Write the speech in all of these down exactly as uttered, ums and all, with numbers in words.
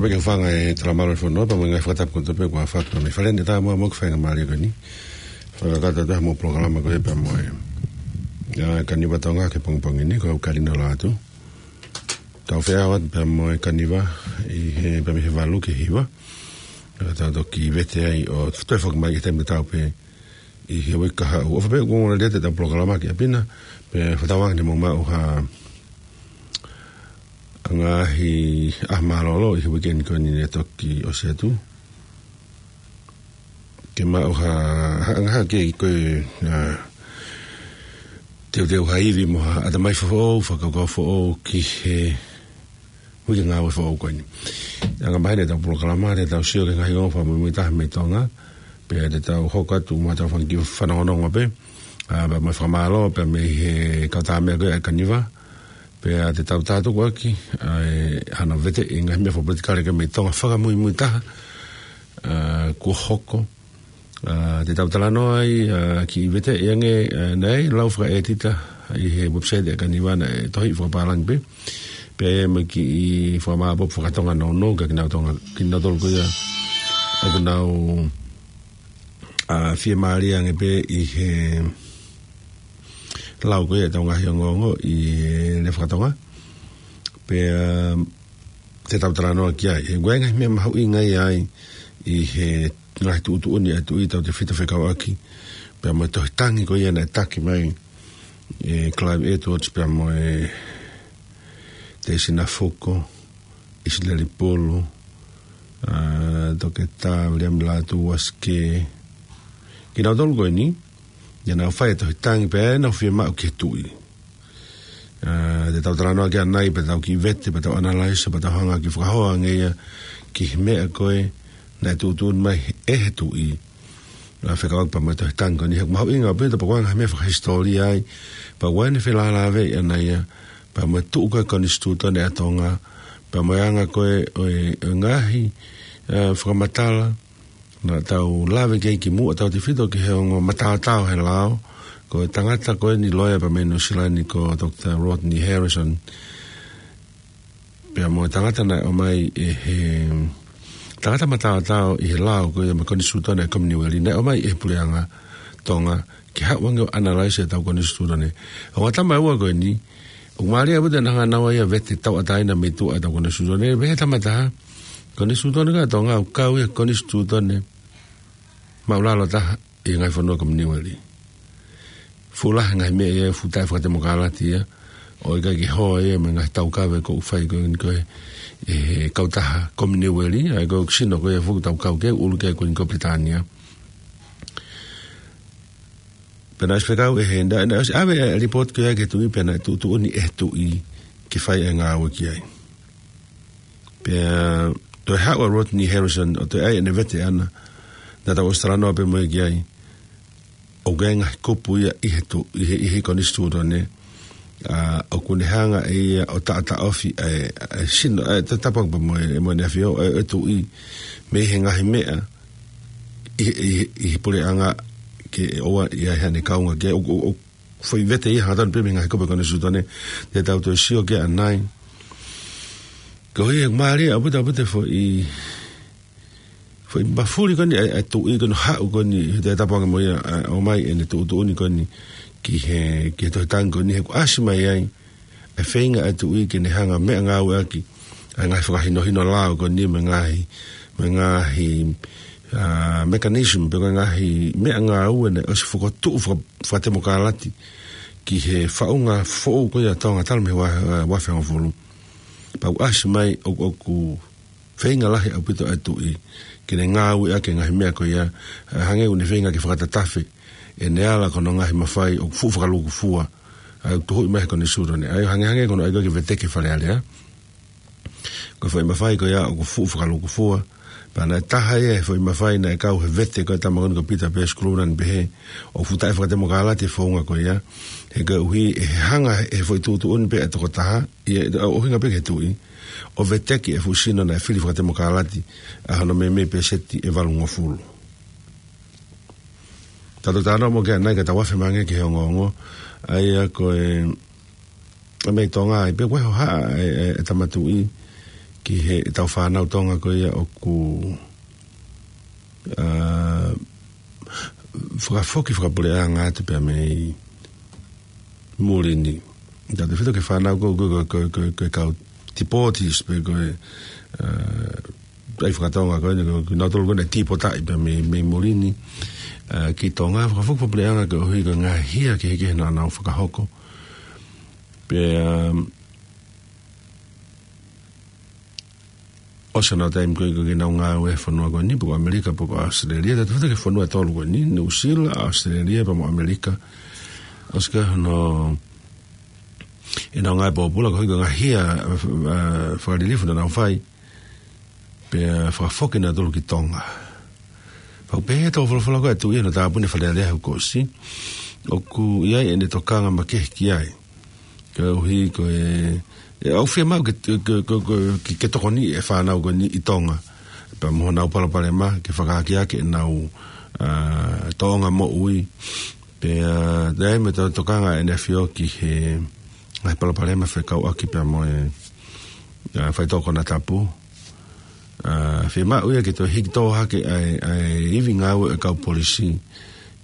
Pea ke fanga e talamalo e fono, pea mo e ngaahi fakatapu kotoa pē kuo fai mei Fale ni, tā mo e faingamālie ko eni. Fakakakato atu mo e polokalama ko e pea mo e, ʻa, Kaniva Tonga ki he pongipongi ni, ko au Kalina Lātū. Tau feʻao atu pea mo e Kaniva, ʻi he, pea mei he valu ki he hiva. Pea tau toki vete ai ʻo toe foki mai ki he taimi tatau pē ʻi he uike kahaʻu. ʻOfa pē ʻoku ongoongo lelei atu ʻetau polokalama ki ʻapi na, pea fakatauange ne mou maʻu ha ngaahi ʻaho mālōlō ʻi he uike ni ko eni ne toki ʻosi atu. Ke maʻu ha, ha, ha ke ko e, ʻa, teuteu ha ivi mo ha ʻatamai foʻou, fakakaukau foʻou ki he uike ngāue foʻou ko eni. Anga maheni ʻetau polokalama, te tau sio ki he ngaahi ongo fakamuimuitaha mei Tonga, pea te tau hoko atu mo ʻetau fanga kiʻi fanongonongo pē, ʻa, pea mo e fakamālō, pea mei he kau tāmeʻa ko e ʻa e Kaniva, pea te tau tātuku ʻaki, ʻa, ʻa hono vete e ngaahi meʻa fakapolitikale ko e mei Tonga fakamuimuitaha, ʻa, kuo hoko, ʻa, te tau talanoa ai, ʻa, kiʻi vete ʻi ange, ʻa, naʻe lau fakaʻētita ʻi he website ʻa e Kaniva naʻe tohi fakapālangi pē. Pea mo e kiʻi fakamāpopo fakatonga nounou kia kinautolu, kinautolu ko ia ʻoku nau, ʻa, fiemālie ange pē ʻi he lau ko ia ʻetau ngaahi ongoongo ʻi he lea fakatonga. Pea, ʻa, te tau talanoa ki ai. He ʻoku ʻi ai e ngaahi meʻa mahuʻinga ia ai ʻi he ngaahi tuʻutuʻuni ʻa e Tuʻi, tautefito fekauʻaki pea mo e tohi tangi ko ia naʻe taki mai ʻe Clive Edwards pea mo e Teisina Fuko, ʻIsileli Pulu, ʻa, Toketā Viliami Lātū Uasikē. Kinautolu ko eni, naʻa nau fai e tohi tangi pea nau fiemaʻu ki he Tuʻi. ʻA, te tau talanoa ki ai ʻanenai, pea tau kiʻi vete, pea tau analyze, pea tau hanga kiʻi fakahoa ange ia ki he meʻa ko ē naʻe tuʻutuʻuni mai ʻe he Tuʻi. ʻA, fekauʻaki pea mo e tohi tangi ko eni, he ʻoku mahuʻinga pē ʻetau pea ko e ngaahi meʻa fakahisitōlia ai, pea ʻoku ʻi ai ʻene felālāveʻi ʻana ia, pea mo e tuʻu ko e konisitūtone ʻa Tonga, pea mo e anga ko ē ʻo e, ʻo e ngaahi, ʻa, fakamatala, naʻa tau lave ki ai kimuʻa, tautefito ki he ongo mataotao he lao, ko e tangata ko eni loea pea mei Nuʻu Sila ni ko Doctor Rodney Harrison. Pea mo e tangata naʻe ʻomai ʻe he tangata mataotao ʻi he lao ko ia mo e konisitūtone ʻa e Kominiueli, naʻe ʻomai ʻe he puleʻanga Tonga ke haʻu ange ʻo analyze ʻetau konisitūtone. ʻO ngata mai ua ko eni, ʻoku mālie ʻaupito ʻena hanga naua ia ʻo vete tauʻatāina mei tuʻa ʻetau konisitūtone. Pehē ʻe he tama ʻe taha, konisitūtone ko ia ʻa Tonga ʻoku kau ia he konisitūtone māʻulalo taha ʻi he ngaahi fonua Kominiueli. Fuʻu lahi e ngaahi meʻa ia, fuʻu taʻefakatemokalati ia, ʻo ʻikai ke hoa ia mei he ngaahi taukave ʻoku fai ko eni ko ē ʻe he kautaha Kominiueli, ʻa ia ko e sino ko ia ʻoku tau kau ki ai, ʻulu ki ai ko eni ko Pilitānia. Pea naʻe ʻosi fekau ʻe he, naʻe, naʻe ʻosi ʻave e lipooti ko ia ki he Tuʻi pea naʻe tuʻutuʻuni ʻe he Tuʻi ke fai e ngāue ki ai. Pea toe haʻu ʻa Rodney Harrison ʻo toe ʻai ʻene vete ʻana, naʻa tau ʻosi talanoa pē mo ia ki ai. ʻOku ʻi ai e ngaahi kupu ia ʻi he Tuʻi, ʻi he, ʻi he konisitūtone, ʻa, ʻoku ne hanga ʻe ia ʻo taʻotaʻofi ʻa e, ʻa e sino, ʻa e, ta-, tāpuaki pea mo e, mo ʻEne ʻAfio, ʻa e, ʻa e Tuʻi, mei he ngaahi meʻa ʻi, ʻi, ʻi he puleʻanga ke ʻoua ʻe ʻi ai haʻane kaunga ki ai. ʻOku, ʻoku, ʻoku foʻi vete ia hangatonu pē mei he ngaahi kupu ʻo e konisitūtone, te tau toe sio ki ai ʻanenai. Koeʻuhi he ʻoku mālie ʻaupito, ʻaupito e foʻi, foʻi mafuli ko eni ʻa e, ʻa e Tuʻi ko eni ʻo haʻu ko eni, he te tāpuaki mo ia, ʻa, ʻomai ʻene tuʻutuʻuni ko eni ki he, ki he tohi tangi ko eni, he ʻoku ʻasi mai ai ʻa e feinga ʻa e Tuʻi ke ne hanga ʻo meʻangāueʻaki ʻa e ngaahi fakahinohino lao ko eni mo e ngaahi, mo e ngaahi, ʻa, mechanism pe ko e ngaahi meʻangāue naʻe ʻosi fokotuʻu faka-, fakatemokalati ki he faʻunga foʻou ko ia ʻa Tonga talu mei he ua-, ua afe hongofulu. Pea ʻoku ʻasi mai ʻoku, ʻoku feinga lahi ʻaupito ʻa e Tuʻi ke ne ngāueʻaki e ngaahi meʻa ko ia, ʻa, hangē ʻoku ne feinga ke fakatatafe ʻene ala ki hono ngaahi mafai ʻoku fuʻu fakalūkufua, ʻa ia ʻoku tuhuʻi mai he konisitūtone. ʻA ia hangehangē ko hono ʻai ko ē ke veteki e Fale Alea. Ko e foʻi mafai ko ia ʻoku fuʻu fakalūkufua. Pea naʻe taha ia he foʻi mafai naʻe kau he vete ko e tama ko eni ko Pita Peesi Kuluuna, naʻa ne pehē ʻoku fuʻu taʻefakatemokalati e founga ko ia. He koeʻuhi ʻe he hanga he foʻi tuʻutuʻuni pē ʻa e tokotaha, ʻi he, ʻo, ʻuhinga pē ki he Tuʻi, ʻo veteki e fuʻu sino naʻe fili fakatemokalati ʻa hono meimei pēseti ʻe valungofulu. Tau toe talanoa mo ia ʻanenai ka tau afe mai ange ki he ongoongo. ʻA ia ko e, ʻa mei Tonga ai, pea ko e hohaʻa e, e, e Tama Tuʻi ki heʻetau fānau Tonga ko ia ʻoku, ā, fakafoki fakapuleʻanga atu pea mei muli ni. Tautautefito ki he fānau ko, ko, ko e kau deportees pe ko e, ā, ʻai fakatonga ko eni, ko, ko nautolu ko eni tīpotaʻi pea mei, mei muli ni, ā, ki Tonga, fakafoki fakapuleʻanga koeʻuhi ko e ngaahi hia kehekehe naʻa nau fakahoko. Pea, ā, ʻosi hono taimi ko ē ʻoku nau ngāue he fonua ko eni, pe ko ʻAmelika, pe ko ʻAositelēlia, tautautefito ki he fonua ʻe tolu ko eni, Nuʻusila, ʻAositelēlia, pea mo ʻAmelika. ʻOsi ko ē hono, ʻenau ngāue pōpula, koeʻuhi ko e ngaahi hia, ā, fakalilifu naʻa nau fai, pea fakafoki nautolu ki Tonga. Pea ʻoku pehē ʻe he tō folofola ko ē ʻa e Tuʻi ʻi hono tāpuni Fale Alea he kuo ʻosi, ʻoku ʻi ai ʻene tokanga makehe ki ai. Koeʻuhi ko e, ʻe, ʻoku fiemaʻu ke, ke, ke, ke, ke, ke tokoniʻi e fānau ko eni ʻi Tonga. Pea mo honau palopalema, ke fakaakeake ʻenau, ā, tōʻonga moʻui. Pea, ā, ʻi ai mo e tokanga ʻa ʻEne ʻAfio ki he ngaahi palopalema fekauʻaki pea mo e, ā, faitoʻo konatapu. Ā, fiemaʻu ia ke toe hiki tō hake ʻa e, ʻa e ivi ngāue ʻa e kau polisi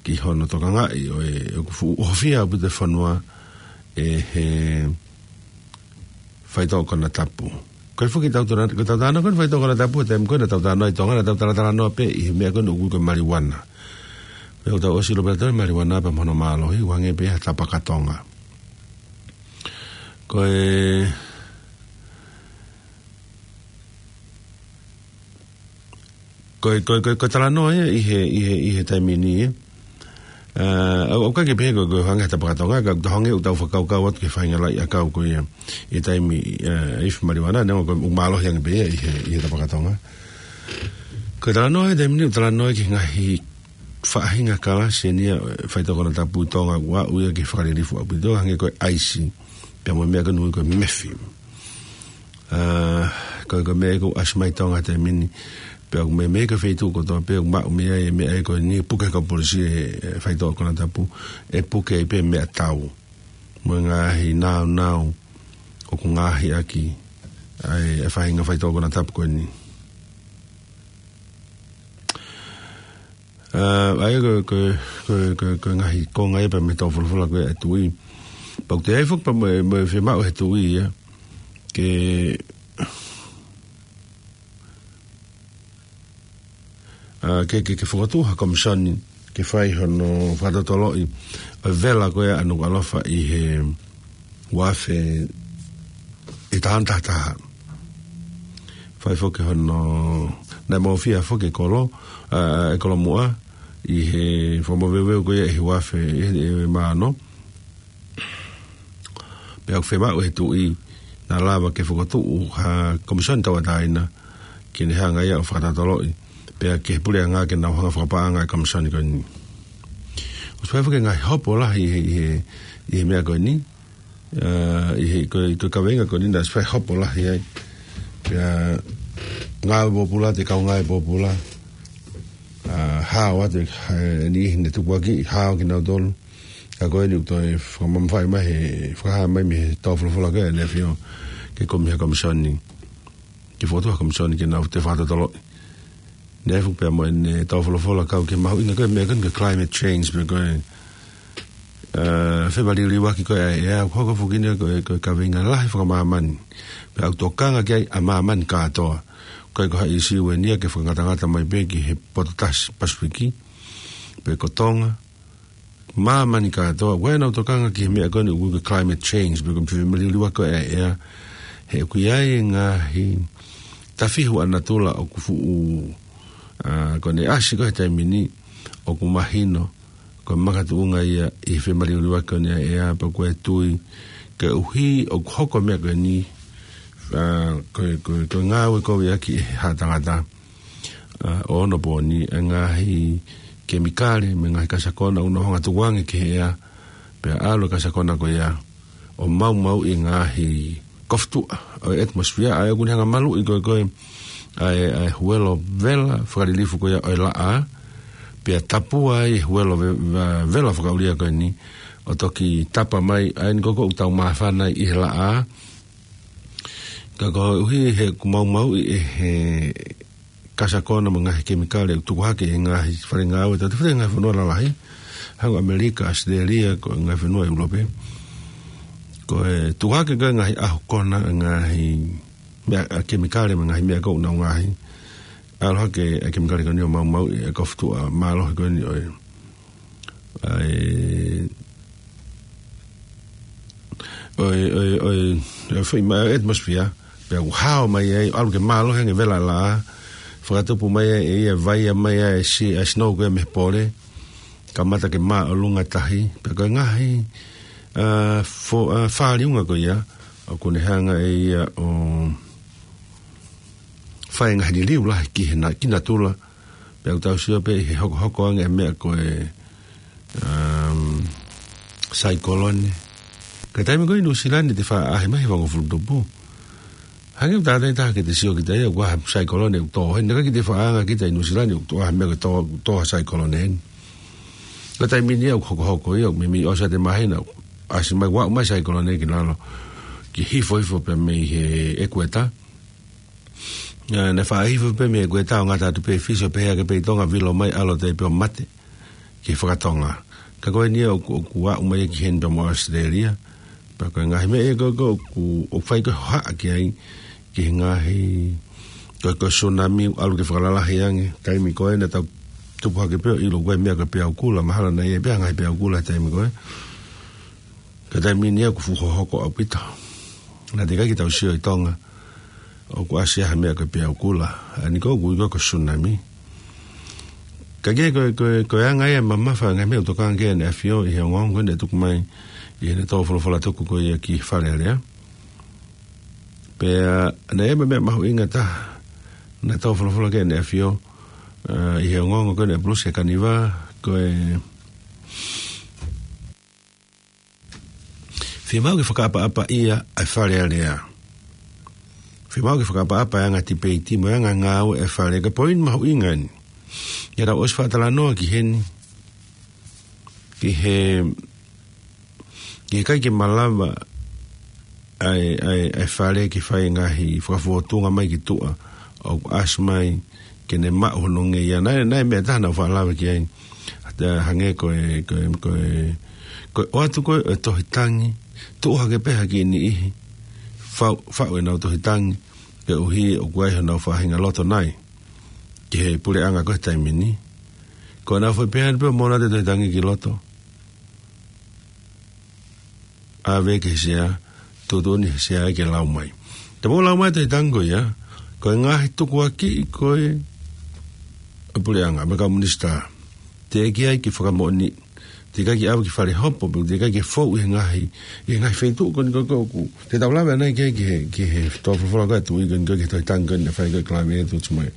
ki hono tokangaʻi ʻo e, ʻoku fuʻu ʻohofia ʻaupito e fonua ʻe he faitoʻo konatapu. Ko e foki tau tala, ko e tau talanoa ko eni faitoʻo konatapu, he taimi ko ē naʻa tau talanoa ʻi Tonga, naʻa tau talatalanoa pē ʻi he meʻa ko eni ʻoku ui ko e maliuana. Pea ʻoku tau ʻosi ʻilo pē ʻa e maliuana pea mo hono mālohi, ʻoku hangē pē ha tapa ka Tonga. Ko e, ko e, ko e, ko e, ko e talanoa ia ʻi he, ʻi he, ʻi he taimi ni, ē. Ā, ʻoku, ʻoku ʻikai ke pehē ko e, ko e hangē ha tapa ka Tonga, ka ʻoku hangē ʻoku tau fakakaukau atu ki he faʻahinga laʻi ʻakau ko ia ʻi he taimi, ā, ifi maliuana, neongo ko e ʻoku mālohi ange pē ia ʻi he, ʻi he tapa ka Tonga. Ko e talanoa ʻi he taimi ni, ʻoku talanoa ki he ngaahi faʻahinga kalasi eni ia, ē, faitoʻo konatapu ʻi Tonga, ʻoku aʻu ia ki he fakalilifu ʻaupito, hangē ko e ʻaisi, pea mo e meʻa ko eni ʻoku ui ko e mefi. Ā, ko e, ko e meʻa ia ʻoku ʻasi mai ʻi Tonga he taimi ni, pea ʻoku meimei ko e feituʻu kotoa pē ʻoku maʻu mei ai e meʻa ia ko eni, puke ʻe he kau polisi e, e faitoʻo konatapu, ʻe puke ai pē meʻatau mo e ngaahi nāunau ʻoku ngaohi ʻaki ʻa e, e faʻahinga faitoʻo konatapu ko eni. Ā, ʻa ia ko e, ko e, ko e, ko e, ko e ngaahi konga ia pea mei he tō folofola ko ē ʻa e Tuʻi. Pea ʻoku toe ʻi ai foki pea mo e, mo e fiemaʻu ʻe he Tuʻi ia ke, ā, ke, ke, ke fokotuʻu ha komisoni ke fai hono fakatotoloʻi ʻo e vela ko ē ʻa Nukuʻalofa ʻi he ua afe ʻe taha ono taha taha. Fai foki hono, naʻe mōfia foki e kolo, ā, e kolo muʻa, ʻi he fakamoveuveu ko ia ʻi he ua afe ʻe, ʻe, ʻe mā ono. Pea ʻoku fiemaʻu ʻe he Tuʻi naʻa lava ke fokotuʻu ha komisoni tauʻatāina ke ne hanga ia ʻo fakatotoloʻi, pea ki he puleʻanga ke nau hanga fakapaʻanga e komisoni ko eni. ʻOsi fai foki e ngaahi hopo lahi ʻi he, ʻi he, ʻi he meʻa ko eni, ā, ʻi he, ko e, ko e kaveinga ko eni naʻe ʻosi fai hopo lahi ai. Pea ngāue pōpula, ʻa e kau ngāue pōpula, ā, hao atu, ā, ʻe niʻihi ne tukuakiʻi, hao kinautolu. Ka ko eni ʻoku toe fakamamafaʻi mai he, fakahā mai mei he tō folofola ko ē ʻa ʻEne ʻAfio ke kumi ha komisoni, ke fokotuʻu ha komisoni ke nau toe fakatotoloʻi. Naʻe ʻi ai foki pea mo ʻene tō folofola kau ki he mahuʻinga ko ē meʻa ko eni ko e climate change pe ko e, ā, femaliuliuaki ko ē ʻa e ʻea, ʻoku hoko foki eni ko e, ko e kaveinga lahi fakamāmani. Pea ʻoku tokanga ki ai ʻa māmani kātoa. ʻOku ʻikai ko ha ʻīsiu eni ia ke fakangatangata mai pē ki he potu tasi Pasifiki, pe ko Tonga, māmani kātoa, ʻoku ʻi ai ʻenau tokanga ki he meʻa ko eni ʻoku ui ko e climate change, pe ko e femaliuliuaki ko ē ʻa e ʻea, he ʻoku ʻi ai e ngaahi tafihu ʻa natula ʻoku fuʻu, ā, ko ʻene ʻasi ko ē he taimi ni, ʻoku mahino ko e makatuʻunga ia ʻi he femaliuliuaki ko eni ʻa e ʻea, pea ko e Tuʻi, koeʻuhi ʻoku hoko e meʻa ko eni, ā, ko e, ko e, ko e ngāue koviʻaki ʻe he haʻa tangata, ā, ʻo onopooni, e ngaahi kemikale mo e ngaahi kasakona ʻoku nau hanga ʻo tukuange ki he ʻea, pea ʻalu e kasakona ko ia ʻo maumauʻi e ngaahi kofutuʻa ʻo e atmosphere, ʻa ia ʻoku ne hanga ʻo maluʻi ko ē, ko ē ʻa e, ʻa e huelo vela fakalilifu ko ia ʻo e laʻā, pea tapua ai e huelo ve-, ve-, vela fakaʻulia ko eni, ʻo toki tapa mai, ʻa eni ko ē ʻoku tau māfana ai ʻi he laʻā, Ka koeʻuhi he ʻoku maumauʻi ʻe he kasakona mo e ngaahi kemikale ʻoku tuku hake ʻi he ngaahi fale ngāue, tautefito he ngaahi fonua lalahi, hangē ko ʻAmelika, ʻAositelēlia, ko e ngaahi fonua ʻIulope. Ko e tuku hake ko e ngaahi ʻahu kona, ngaahi meʻa, ʻa, kemikale mo e ngaahi meʻa ko ē ʻoku nau ngaahi. ʻAlu hake ʻa e kemikale ko eni ʻo maumauʻi ʻa e kofu tuʻa mālohi ko eni ʻo e ʻa e, ʻo e, ʻo e, ʻo e, ʻo e foʻi ma-, atmosphere, pea ʻoku hao mai ai, ʻalu ke mālohi ange e vela laʻā, fakatupu mai ai ʻe ia, vaia mai ai e si-, ʻa e snow ko ē mei he pole, kamata ke māʻolunga tahi, pea ko e ngaahi, ʻa, fo-, ʻa, fāliunga ko ia, ʻoku ne hanga ʻe ia ʻo fai e ngaahi liliu lahi ki he na-, ki natula, pea ʻoku tau sio pē ʻi he hokohoko ange e meʻa ko e, um, saikolone. Ka taimi ko ē ʻi Nuʻusila ni te faʻa ʻaʻahi mai he vangofulu tupu. Hangē ʻoku tātai taha ke te sio kita ia, ʻoku ʻaʻahi saikolone ʻoku tō heni, ka ʻikai ke te faʻa anga kita ʻi Nuʻusila ni ʻoku tō ʻaʻahi meʻa ko e tō, tō ha saikolone heni. Ka taimi ni ia ʻoku hokohoko ia, ʻoku meimei ʻosi ʻa e māhina, ʻasi mai, ʻoku aʻu mai saikolone ki lalo, ke hifo hifo pē mei he ʻekueta. ʻA, naʻe faʻa hifo pē mei he ʻekueta ʻo ngata atu pē Fisi ʻo pehē hake pē ʻi Tonga, vilo mai, ʻalu atu ai pē ʻo mate ki he fakatonga. Ka ko eni ia ʻoku, ʻoku aʻu mai ki heni pea mo ʻAositelēlia. Pea ko e ngaahi meʻa ia ko ē ʻoku, ʻoku fai ko ē hohaʻa ki ai, ki he ngaahi, ko e, ko e tsunami ʻalu ke fakalalahi ange. Taimi ko ē naʻa tau tupu hake pē ʻo ʻilo ko e meʻa ko e peau kula, mahalo naʻe ʻi ai pē ha ngaahi peau kula he taimi ko ē. Ka taimi ni ia ʻoku fuʻu hohoko ʻaupito. Naʻe teʻeki ai ke tau sio ʻi Tonga ʻoku ʻasi ha meʻa ko e peau kula. ʻA eni ko ē ʻoku ui ko e tsunami. Ka ko e, ko e, ko e, ko e anga ia e mamafa e ngaahi meʻa ʻoku tokanga ki ai ʻEne ʻAfio ʻi he ongoongo ko ē naʻe tuku mai ʻi heʻene tō folofola tuku ko ia ki Fale Alea. Pea naʻe ʻi ai e meʻa mahuʻinga taha naʻe tō folofola ki ai ʻEne ʻAfio, ʻa, ʻi he ongoongo ko ē naʻe pulusi ʻe Kaniva, ko e fiemaʻu ke fakaʻapaʻapaʻi ʻa e Fale Alea. Fiemaʻu ke fakaʻapaʻapa e anga tipeiti mo e anga ngāue e fale, ka ko e poini mahuʻinga eni. Ia tau ʻosi faʻa talanoa ki heni, ki he, ki he ʻikai ke malava ʻa e, ʻa e, ʻa e fale ke fai e ngaahi fakafofonga mai ki tuʻa, ʻo ʻasi mai ke ne maʻu hono ngeia. Naʻe, naʻe meʻa taha naʻa ku faʻa lave ki ai. Hangē ko e, ko e, ko e, ko e ʻoatu ko ē e tohi tangi, tuʻu hake pē ha kiʻi niʻihi, faʻu, faʻu ʻenau tohi tangi, koeʻuhi ʻoku ʻi ai honau faʻahinga loto nai ki he puleʻanga ko ē he taimi ni. Ko ʻenau foʻi pehē pē ʻo mōnate e tohi tangi ki loto, ʻave ki he sea, tuʻutuʻuni he sea ke lau mai. Te mou lau mai e tohi tangi ko ia, ko e ngaahi tukuakiʻi ko ē ʻa e puleʻanga mo e kau minisitā, teʻeki ai ke fakamoʻoni, teʻeki ai ke ʻave ki fale hopo, pe teʻeki ai ke fou ʻi he ngaahi, ʻi he ngaahi feituʻu ko eni ko ē ʻoku te tau lave ʻanai ki he, ki he, ki he tō folofola ko ē ʻa e Tuʻi ko eni ko ē, ki he tohi tangi ko eni naʻe fai ko ē ʻe Climate Change mo e,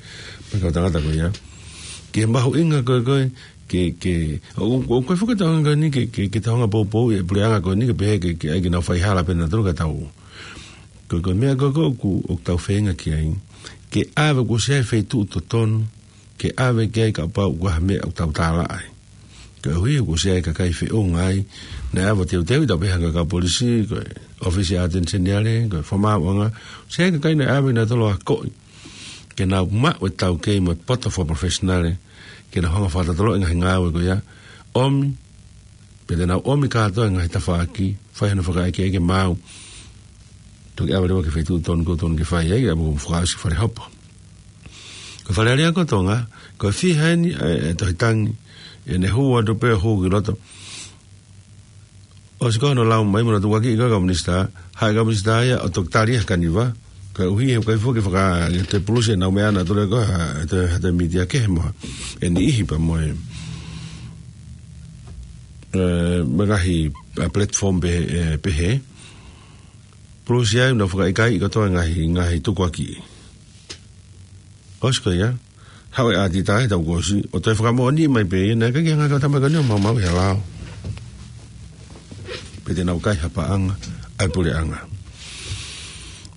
mo e kau tangata ko ia. Ki he mahuʻinga ko ē ko ē, ke, ke, ʻo, ʻo, ʻoku ʻikai foki ke tau hanga ko eni ke, ke, ke tau hanga poupouʻi e puleʻanga ko eni ke pehē ke, ke ʻai ke nau fai hala pē nautolu ka tau. Ko e, ko e meʻa ko ē ko ē ʻoku, ʻoku tau feinga ki ai, ke ʻave kuo ʻosi ʻi ai e feituʻu totonu ke ʻave ki ai kapau ʻoku ʻi ai ha meʻa ʻoku tau tālaʻa ai. Koeʻuhi kuo ʻosi ʻi ai e kakai feʻunga ai, naʻe ʻave ʻo teuteuʻi, tau pehē hangē ko e kau polisi, ko e ʻōfisi ʻa e ʻAteni Seniale, ko e fakamaauʻanga, ʻosi ʻi ai e kakai naʻe ʻave kinautolu ʻo akoʻi ke nau maʻu e taukei mo e poto fakaprofessional, ke nau hanga ʻo fakatotoloʻi e ngaahi ngāue ko ia, ʻomi, pea te nau ʻomi kātoa e ngaahi tafaʻaki, fai hono fakaʻekeʻeke maʻu, toki ʻave leva ki he feituʻu totonu kuo totonu ke fai ai, ʻa ia ʻoku mou fakaʻosi ki fale hopo. Ko Fale Alea ko Tonga, ko e fiha eni e, e tohi tangi, ʻene hū atu pē ʻo hū ki loto. ʻOsi ko hono lau mai mo hono tukuakiʻi ko ē ʻa e kau minisitā, haʻu e kau minisitā ia ʻo toki tali ʻe Kaniva, koeʻuhi he ʻoku ʻikai foki ke faka-, ʻe toe pulusi ʻenau meʻa nautolu ko ē ha, ʻe toe, ha toe mītia kehe mo ha, e niʻihi pea mo e, e, mo e ngaahi, ʻa, platform pehē, e, pehē. Pulusi ai ʻenau fakaʻikaiʻi kotoa e ngaahi, ngaahi tukuakiʻi. ʻOsi ko ia, haʻu e ʻātita he taʻu kuo ʻosi, ʻo toe fakamoʻoniʻi mai pē ia, naʻe ʻikai ke hanga ʻe he kau tamaiki ko eni ʻo maumauʻi ha lao. Pe te nau kai ha paʻanga ʻa e puleʻanga.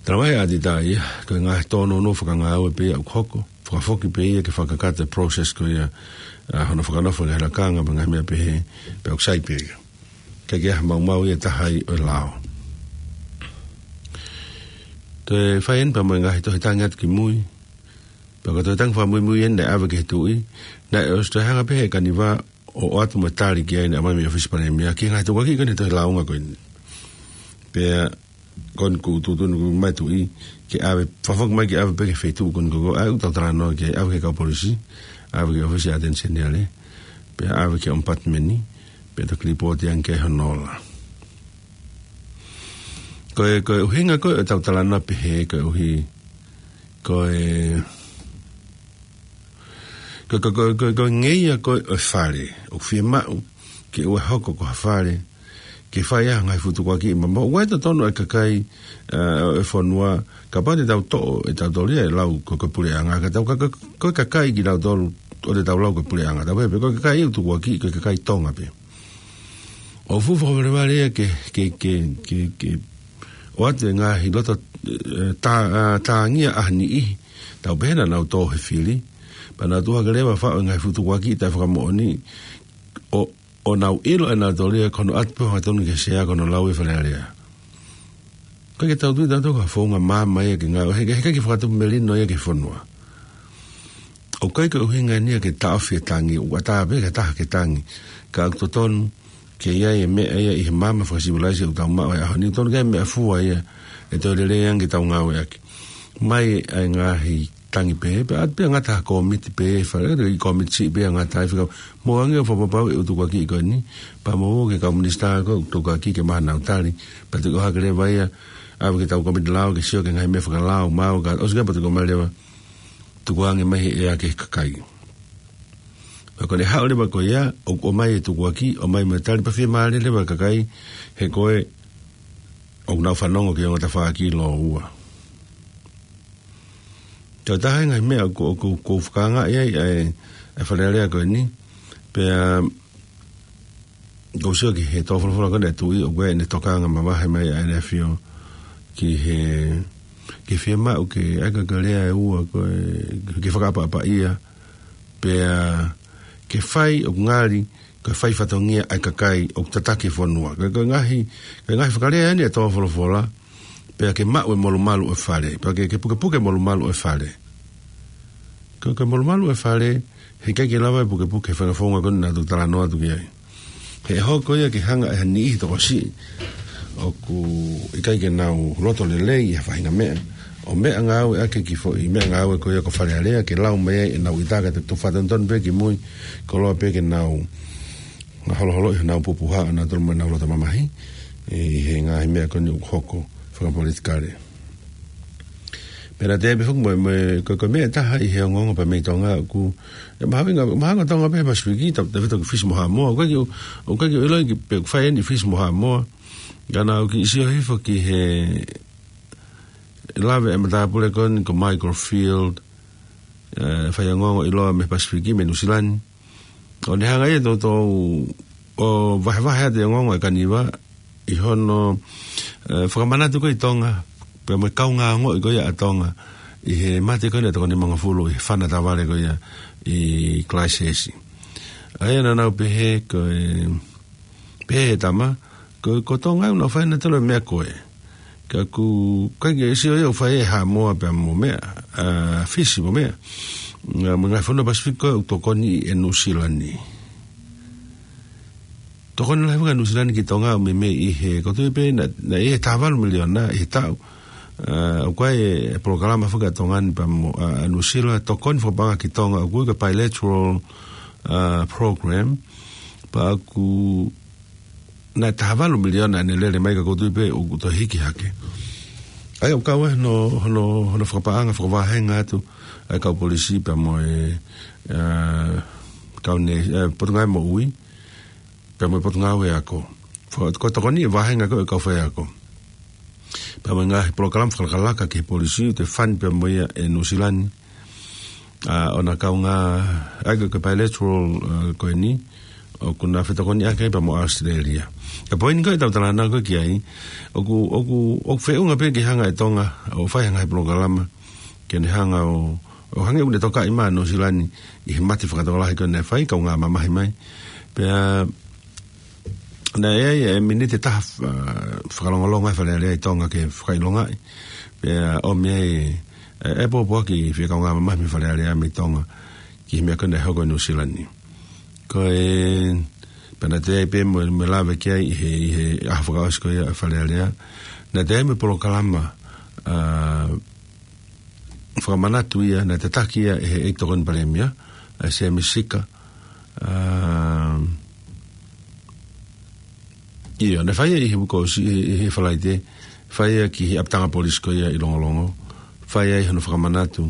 Talamai ʻe he ʻātita ia, ko e ngaahi tōnounou fakangāue pē ia ʻoku hoko, fakafoki pē ia ke fakakakato e process ko ia, ʻa, hono fakanofo e ngaahi lakanga, mo e ngaahi meʻa pehē, pea ʻoku sai pē ia. ʻIkai ke ʻi ai ha maumau ia ʻe taha ai ʻo e lao. Toe fai eni pea mo e ngaahi tohi tangi atu ki mui. Pea ko e tohi tangi fakamuimui eni naʻe ʻave ki he tuʻi. Naʻe ʻosi toe hanga pē ʻe he Kaniva ʻo ʻoatu mo e tali ki ai naʻe ʻomai mei he ʻōfisi palēmia ki he ngaahi tukuakiʻi ko eni he tohi lāunga ko eni. Pea ko eni kuo tuʻutuʻuni mai e tuʻi ke ʻave, fakafoki mai ke ʻave pē ki he feituʻu ko eni ko ē ʻoku tau talanoa ki ai, ʻave ki he kau polisi, ʻave ki he ʻōfisi ʻa e ʻAteni Seniale, pea ʻave ki he ʻOmipatimeni, pea toki lipooti ange ki ai hono ola. Ko e, ko e ʻuhinga ko ē ʻoku tau talanoa pehē, ko e ʻuhi, ko e, ko, ko, ko, ko, ko e ngeia ko ē ʻo e fale, ʻoku fiemaʻu ke ʻoua ʻe hoko ko ha fale ke fai ai ha ngaahi fuʻu tukuakiʻi mamoa. ʻOku ʻi ai e totonu ʻa e kakai, ā, ʻo e fonua, kapau te tau toʻo ʻe tautolu ia e lau ko e, ko e puleʻanga, ka tau ka, ka, ko e kakai kitautolu ʻoku tau lau ko e puleʻanga. Tau pehē pē, ko e kakai ʻoku tukuakiʻi, ko e kakai Tonga pē. ʻOku fuʻu fakavalevale ia ke, ke, ke, ke, ke ʻoatu e ngaahi loto, ē, tā-, ā, tāngia ʻa ha niʻihi. Tau pehē naʻa nau tō he fili. Pea nau tuʻu hake leva ʻo faʻu e ngaahi fuʻu tukuakiʻi taʻefakamoʻoni. ʻO, ʻo nau ʻilo ʻe nautolu ia ko hono ʻatu pē ʻo hangatonu ki he sea ko hono lau e Fale Alea. ʻOku ʻikai ke tau tui tautolu ko ha founga maama ia ke ngāue, he, he ʻikai ke fakatupu melino ia ki he fonua. ʻOku ʻikai ko e ʻuhinga eni ia ke taʻofi e tangi, ʻoku ʻatā pē ke taha ke tangi. Ka ʻoku totonu ke ʻi ai e meʻa ia ʻi he maama fakasivilaise ʻoku tau maʻu he ʻaho ni, totonu ke ʻi ai e meʻafua ia ʻe toe lelei ange ke tau ngāueʻaki. Mai ʻa e ngaahi tangi pē, pea ʻatu pē ʻo ngata ha kōmiti pē, fale, ʻi he kōmiti siʻi pē ʻo ngata ai fika, mou ange ʻo fakapapauʻi e ʻū tukuakiʻi ko eni, pea mou ō ki he kau minisitā ko ē ʻoku tukuakiʻi ke maʻu honau tali, pea toki ʻohake leva ia, ʻave ki he kau kōmiti lao ke sio ki he ngaahi meʻa fakalao, maʻu ka, ʻosi ka pea toki ʻomai leva, tukuange mai he ʻea ki he kakai. Pea ko ʻene haʻu leva ko ia, ʻo, ʻomai e tukuakiʻi, ʻomai mo e tali pea fiemālie leva e kakai, he ko ē, ʻoku nau fanongo ki he ongo tafaʻaki lōua. Ko e taha e ngaahi meʻa ʻoku, ʻoku, ʻoku fakaangaʻi ai ʻa e, ʻa e Fale Alea ko eni, pea, ʻoku ou sio ki he tō folofola ko eni ʻa e tuʻi, ʻoku ʻi ai ʻene tokanga mavahe mai ʻa ʻEne ʻAfio ki he, ki he fiemaʻu ke ʻai ko e lea ʻe ua ko e, ke fakaʻapaʻapaʻia, pea ke fai ʻoku ngali, ke fai fatongia ʻa e kakai ʻoku tataki e fonua. Ko e, ko e ngaahi, ko e ngaahi fakalea eni ʻa e tō folofola, pea ke maʻu e molumalu ʻo e fale, pea ke, ke pukepuke e molumalu ʻo e fale. Ko e, ko e molumalu ʻo e fale, heʻikai ke lava e pukepuke he fanga founga ko eni naʻa tau talanoa atu ki ai. He ʻe hoko ia ke hanga ʻe ha niʻihi tokosiʻi ʻoku ʻikai ke nau loto lelei ʻi ha faʻahinga meʻa, ʻo meʻangāueʻaki e kiʻi foʻi meʻangāue ko ia ko Fale Alea, ke lau mai ai ʻenau ʻita ka te tau fakatonutonu pē ki mui, koloa pē ke nau holoholoʻi honau pupuha ʻanautolu mo ʻenau loto mamahi ʻi he ngaahi meʻa ko eni ʻoku hoko fakapolitikale. Pea naʻe toe pehē foki mo, mo, ko, ko e meʻa ʻe taha ʻi he ongoongo pea mei Tonga ʻoku, ʻe mahuʻinga, mahuʻinga Tonga pē he Pasifiki, tau, tau fito ki Fisi mo Haʻamoa, ʻoku ʻikai ke, ʻoku ʻikai ke u ʻiloʻi pe ʻoku fai eni ʻi Fisi mo Haʻamoa, ka naʻa ku kiʻi sio hifo ki he lave ʻa e matāpule ko eni ko Michael Field, ē, fai ongoongo ʻiloa mei he Pasifiki, mei Nuʻu Sila ni. ʻO ne hanga ia ʻo toutou ʻo vahevahe atu e ongoongo ʻa e Kaniva ʻi hono, ē, fakamanatu ko ē ʻi Tonga, pea mo e kaungā ongoʻi ko ia ʻa Tonga ʻi he mate ko eni ʻa e toko nimangofulu ʻi he fana tavale ko ia ʻi Christchurch. ʻA ia naʻa nau pehē ko e, pehē ʻe he tama, ko, ko Tonga ʻoku nau fai ʻenautolu e meʻa ko ē. Ka ʻoku ʻikai ke sio ia ʻoku fai ʻe Haʻamoa pea mo meʻa, ā, Fisi mo meʻa. Ā, mo e ngaahi fonua Pasifiki ko ē ʻoku tokoni ʻe Nuʻu Sila ni. Tokoni lahi faka Nuʻu Sila ni ki Tonga ʻo meimei ʻi he, ʻoku ou tui pē naʻe, naʻe ʻi he taha valu miliona ʻi he taʻu. Ā, ʻoku ʻi ai e polokalama faka Tonga ni pea mo, ā, Nuʻu Sila, tokoni fakapaʻanga ki Tonga, ʻoku ui ko e bilateral, ā, program, pea ʻoku naʻe taha valu miliona ʻene lele mai ka ʻoku ou tui pē ʻoku toe hiki hake. ʻA ia ʻoku kau ai hono, hono, hono fakapaʻanga fakavāhenga atu ʻa e kau polisi pea mo e, ā, kau ne, ē, Potungāue Moʻui, pea mo e Potungāue Ako. Faka-, ko e tokoni e vāhenga ko ē ʻa e kau faiako. Pea mo e ngaahi polokalama fakalakalaka ki he polisi, ʻoku toe fund pea mo ia ʻe Nuʻu Sila ni. Ā, ʻo na kaungā, ʻa ia ko e bilateral, ā, ko eni, ʻoku na fetokoniʻaki ai pea mo ʻAositelēlia. Ka ko e poini ko ē ʻoku tau talanoa ko ē ki ai, ʻoku, ʻoku, ʻoku feʻunga pē ke hanga ʻe Tonga ʻo fai ha ngaahi polokalama, ke ne hanga ʻo, ʻo hangē ʻoku ne tokaʻi mai ʻa Nuʻu Sila ni ʻi he mate fakatokolahi ko ē naʻe fai, kaungā mamahi mai. Pea, Naʻe ʻi ai e miniti ʻe taha, ʻa, fakalongolongo ʻa e Fale Alea ʻi Tonga ke fakaʻilongaʻi. Pea ʻomi ai e, e pōpoaki fie kaungā mamahi mei Fale Alea mei Tonga ki he meʻa ko ē naʻe hoko ʻi Nuʻu Sila ni. Ko e, pea naʻe toe ʻi ai pē mo, mo e lave ki ai ʻi he, ʻi he ʻaho fakaʻosi ko ia ʻa e Fale Alea. Naʻe toe ʻi ai mo e polokalama, ʻa, fakamanatu ia, naʻe tataki ia ʻe he ʻEiki Tokoni Palēmia, ʻa Sēmisi Sika. ʻA, ʻio, naʻe fai ia ʻi he uike kuo ʻosi, ʻi he, ʻi he Falaite, fai ia ki he ʻapitanga polisi ko ia ʻi Longolongo, fai ai hono fakamanatu,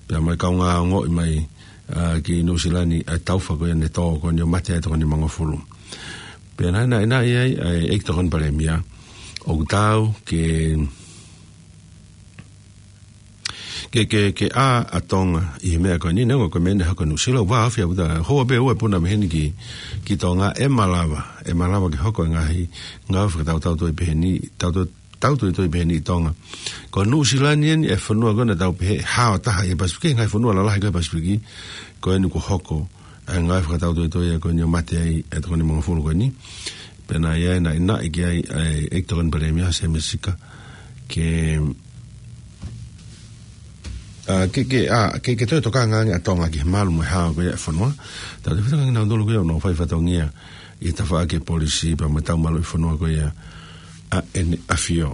pea mo e kaungā ongoʻi mai, ʻa, ki Nuʻu Sila ni, ʻa e taufa ko ia naʻe tō ko eni ʻo mate ai e toko nimangofulu. Pea naʻe, naʻe, naʻe ʻi ai, ʻa e ʻEiki Tokoni Palēmia, ʻoku taau ke ke, ke, ke ʻā ʻa Tonga ʻi he meʻa ko eni, neongo ko e meʻa naʻe hoko ʻi Nuʻu Sila, ʻoku vāofi ʻaupito, houa pē ʻe ua e puna mei heni ki, ki Tonga, ʻe malava, ʻe malava ke hoko e ngaahi, ngaahi fakatautau toi pehē ni, tau, tau, tau toi toi pehē ni ʻi Tonga. Ko Nuʻu Sila ni eni e fonua ko ē naʻa tau pehē hao taha ʻi he Pasifiki, ngaahi fonua lalahi ko ē ʻi he Pasifiki, ko eni kuo hoko, ʻa e ngaahi fakatautau toi ko eni ʻo mate ai e toko nimangofulu ko eni. Pea naʻe ʻi ai, naʻe, naʻe ʻi ai, ʻa e ʻEiki Tokoni Palēmia Sēmisi Sika, ke, ʻa, ke, ke, ʻa, ke, ke toe tokanga ange ʻa Tonga ki he malu mo e hao ko ia e fonua. Tautautefito ange kinautolu ko ia ʻoku nau fai fatongia ʻi he tafaʻaki e polisi pea mo e tau malu ʻi fonua ko ia ʻa ʻEne ʻAfio.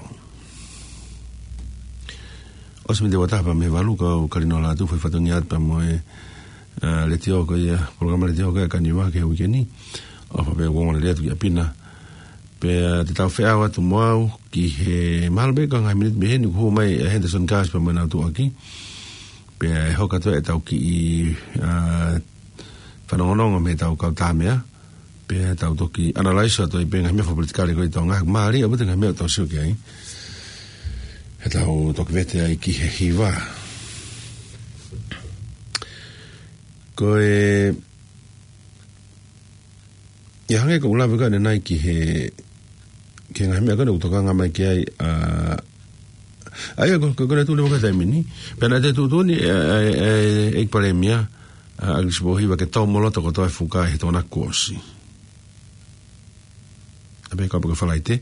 ʻOsi miniti ua taha pea mei he valu, kau Kalino Lātū fai fatongia atu pea mo e, ʻa, letiō ko ia, polokalama letiō ko ia ʻa Kaniva ki he uike ni. ʻOfa pē ʻoku ongo lelei atu ki ʻapi na. Pea te tau feʻao atu mo au ki he mahalo pē ko e ngaahi miniti mei heni kuo hū mai ʻa Henderson Cars pea mo ʻenau tuʻuaki. Pea ʻe hoko atu ʻetau kiʻi, ʻa, fanongonongo mei heʻetau kau tāmeʻa. Pea tau toki analyze atu ai pē ngaahi meʻa fakapolitikale ko ē ʻi Tonga. Mālie ʻaupito ngaahi meʻa ʻoku tau sio ki ai. He tau toki vete ai ki he hiva. Ko e, ʻi he hangē ko ʻeku lave ko ē ʻanenai ki he, ki he ngaahi meʻa ko ē ʻoku tokanga mai ki ai, ʻa, ʻa ia ko, ko, ko ʻene tuʻu leva ko e taimi ni. Pea naʻe tuʻutuʻuni, ʻe, ʻe, ʻe, ʻEiki Palēmia, ʻa, ʻAkilisi Pōhiva ke tōmoloto kotoa e fuka ʻi he Tokonaki kuo ʻosi. ʻA pē kapau ko e Falaite.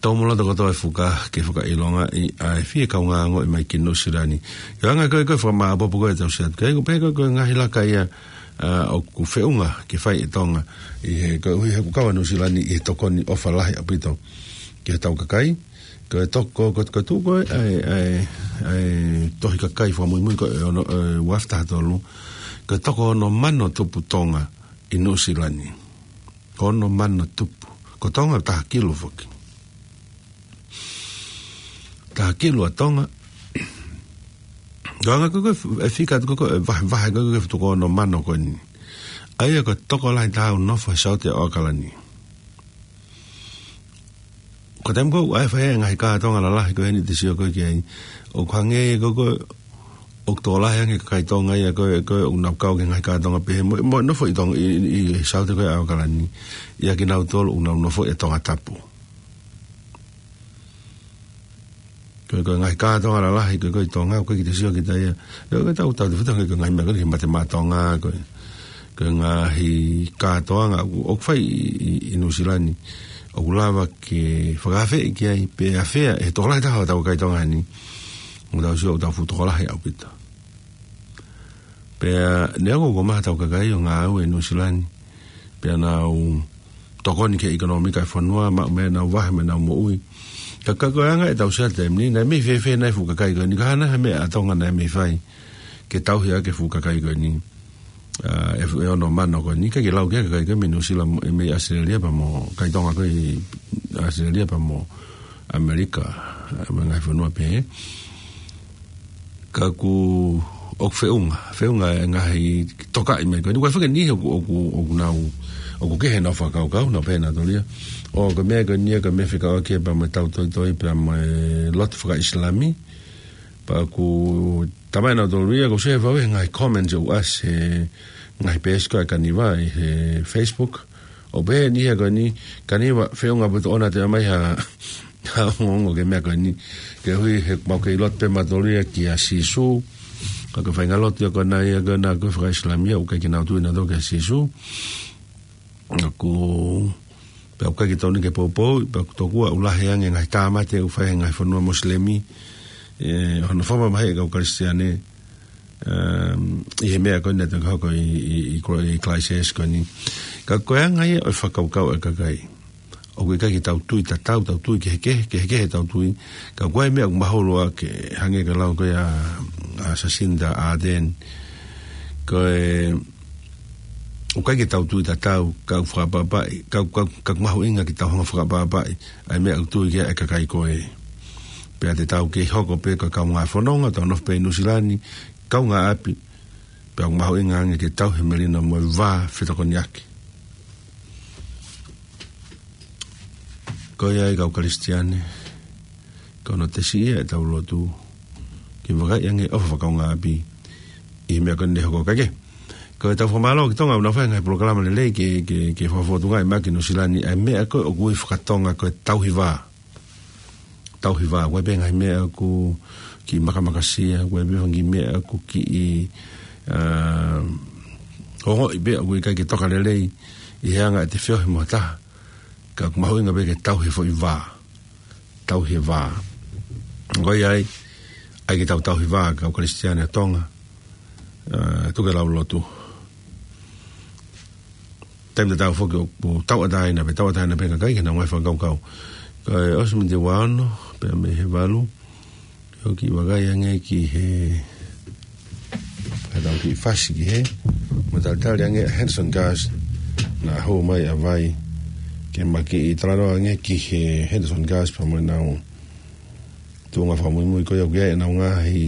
Tōmoloto kotoa e fuka ke fakaʻilongaʻi ʻa e fie kaungā ongoʻi mai ki Nuʻu Sila ni. ʻI he anga ko ē ko e fakamāʻopoʻopo ko ē ʻetau sio atu ki ai, ko e pehē ko ē ko e ngaahi laka ia, ʻa, ʻoku feʻunga ke fai ʻe Tonga. ʻI he, koeʻuhi he ʻoku kau ʻa Nuʻu Sila ni ʻi he tokoni ʻofa lahi ʻaupito ki hotau kakai. Ko e toko, ko, ko e tuʻu ko ē ʻa e, ʻa e, ʻa e tohi kakai fakamuimui ko ē ʻo e, ʻo e ua afe taha tolu. Ko e toko ono mano tupu Tonga ʻi Nuʻu Sila ni. Ono mano tupu. Ko Tonga taha kilu foki. Taha kilu ʻa Tonga. Ko e anga ko ē ko e fika atu ko ē ko e vahe, vahe ko ē ko ē fuka toko ono mano ko eni. ʻA ia ko e tokolahi taha ʻoku nofo he Saute ʻo ʻAokalani. Ko e taimi ko ē ʻoku ʻi ai e fai e ngaahi kātoanga lalahi ko eni te sio ko ē ki ai. ʻOku hangē ko ē ko ē ʻoku tokolahi ange e kakai Tonga ia ko ē, ko ē ʻoku nau kau ki he ngaahi kātoanga pehē mo, mo nofo ʻi Tonga ʻi, ʻi, ʻi Saute ko ē ʻo ʻAokalani. ʻIa kinautolu ʻoku nau nofo ʻi Tongatapu. Ko e, ko e ngaahi kātoanga lalahi ko ē ko ē ʻi Tonga, ko e kiʻi te sio kita ia. ʻIo, ko e tau, tautautefito ange ko e ngaahi meʻa ko ē ki he mate maʻa Tonga, ko e, ko e ngaahi kātoanga ʻoku, ʻoku fai ʻi, ʻi, ʻi Nuʻu Sila ni. ʻOku lava ke fakaafeʻi ki ai, pe ʻafea, ʻe he tokolahi taha ʻo hotau kakai Tonga ni. ʻOku tau sio, ʻoku tau fuʻu tokolahi ʻaupito. Pea neongo ʻoku maha hotau kakai ʻo ngāue ʻi Nuʻu Sila ni. Pea nau tokoni ki he ʻekonōmika e fonua, maʻu mei ai ʻenau vahe mo ʻenau moʻui. Ka, ka ko e anga ʻetau sio he taimi ni, naʻe mei fēfē nai e fuʻu kakai ko eni, ka hā nai ha meʻa ʻa Tonga naʻe mei fai ke tauhi ʻaki e fuʻu kakai ko eni. ʻA, e fu-, e ono mano ko eni, ʻikai ke lau ki ai e kakai ko ē mei Nuʻu Sila mo, mei ʻAositelēlia pea mo, kakai Tonga ko ē ʻi ʻAositelēlia pea mo ʻAmelika, ʻa, mo e ngaahi fonua pehē. Ka ʻoku, ʻoku feʻunga, feʻunga e ngaahi tokaʻi mai ko eni. Ko e fanga niʻihi ʻoku, ʻoku, ʻoku nau, ʻoku kehe ʻenau fakakaukau, nau pehē nautolu ia, ʻo ko e meʻa ko eni ia, ko e meʻa fekauʻaki pea mo e tau toitoi, pea mo e lotu fakaʻIsilami. Pea ʻoku talamai ʻe nautolu ia, ʻoku ou sio he fau he ngaahi comments ʻoku ʻasi he ngaahi peesi ko ē ʻa Kaniva ʻi he Facebook. ʻOku pehē ʻe he niʻihi ko eni, Kaniva, feʻunga ʻaupito ʻoua te ʻomai ha, ha ongoongo ki he meʻa ko eni. Koeʻuhi he ʻoku mau kei lotu pē mautolu ia kia Sīsū. Ka ko e faʻahinga lotu ia ko ena ia ko ena ko ē fakaʻIsilami ia, ʻoku ʻikai ke nau tui nautolu kia Sīsū. ʻOku Pea ʻoku ʻikai ke tonu ke poupou, pea ʻoku tokua ʻoku lahi ange ngaahi tāmate ʻoku fai he ngaahi fonua Mosilemi, ʻe, hono fakamamahiʻi e kau Kalisitiane, um, ʻi he meʻa ko eni naʻe toki hoko ʻi, ʻi, ʻi, ʻi Christchurch ko eni. Ka ko e anga ia ʻo e fakakaukau ʻa e kakai. ʻOku ʻikai ke tau tui tatau, tau tui kehekehe, kehekehe tau tui. Ka ko e meʻa ʻoku mahulu ʻa e hangē ko e lau ko ia ʻa, ʻa Jacinda Ardern. Ko e, ʻoku ʻikai ke tau tui tatau, ka ʻoku fakaʻapaʻapaʻi, ka, ka, ka ʻoku mahuʻinga ke tau hanga ʻo fakaʻapaʻapaʻi ʻa e meʻa ʻoku tui ki ai e kakai ko ē. Pea te tau kei hoko pē ko e kaungā fononga, tau nofo pē ʻi Nuʻusila ni, kaungāʻapi, pea ʻoku mahuʻinga ange ke tauhi e melino mo e vā fetokoniʻaki. Ko ia ai kau Kalisitiane, ko hono tesi ia ʻetau lotu, ke vakaiʻi ange ʻofa fakakaungāʻapi ʻi he meʻa ko eni naʻe hoko. Kae kehe, ko ʻetau fakamālō ki Tonga ʻoku nau fai e ngaahi polokalama lelei ke, ke, ke fakafotungaʻi mai ki Nuʻusila ni ʻa e meʻa ko ē ʻoku ui faka-Tonga ko e tauhi vā. Tauhi vā, ʻoku ʻi ai pē ngaahi meʻa ʻoku kiʻi makamakasia, ʻoku ʻi ai pē ngaahi meʻa ʻoku kiʻi, ah, ongoʻi pē ʻoku ʻikai ke toka lelei ʻi he anga ʻete feohi mo ha taha. Ka ʻoku mahuʻinga pē ke tauhi e foʻi vā. Tauhi e vā. Ko ia ai, ʻai ke tau tauhi vā, kau Kalisitiane ʻa Tonga. Ah, tuku ke lau lotu. Taimi tatau foki ʻoku tauʻatāina pē, tauʻatāina pē kakai ke nau ngaahi fakakaukau. Kae ʻosi miniti ua ono, pea mei he valu. ʻOku ou kiʻi vakai ange ki he, ka tau kiʻi fasi ki he, mo talitali ange ʻa Henderson Gas, naʻa hū mai ʻa Vai, ke ma kiʻi talanoa ange ki he Henderson Gas, pea mo ʻenau tuʻunga fakamuimui ko ia ʻoku ʻi ai ʻenau ngaahi,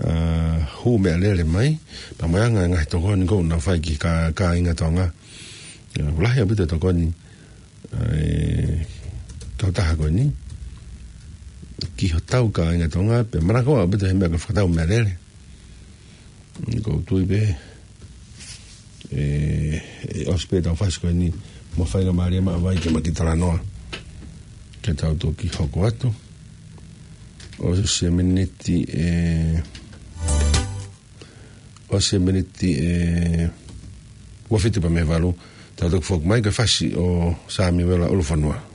ah, hū meʻalele mai, pea mo e anga e ngaahi tokoni ʻoku nau fai ki he kā-, kāinga Tonga. ʻE, lahi ʻaupito e tokoni, ʻa e kautaha ko eni, ki hotau kāinga Tonga, pea manako ʻaupito he meʻa ko e fakatau meʻalele. ʻOku ou tui pē, ʻe, ʻe ʻosi pē ʻetau fasi ko eni, mo faingamālie mai ʻa Vai ke ma kiʻi talanoa. Ke tau toki hoko atu. ʻOsi e miniti ʻe, ʻosi e miniti ʻe ua fitu pea mei he valu. Tau toki foki mai ki he fasi ʻo Samiuela ʻUlufonua.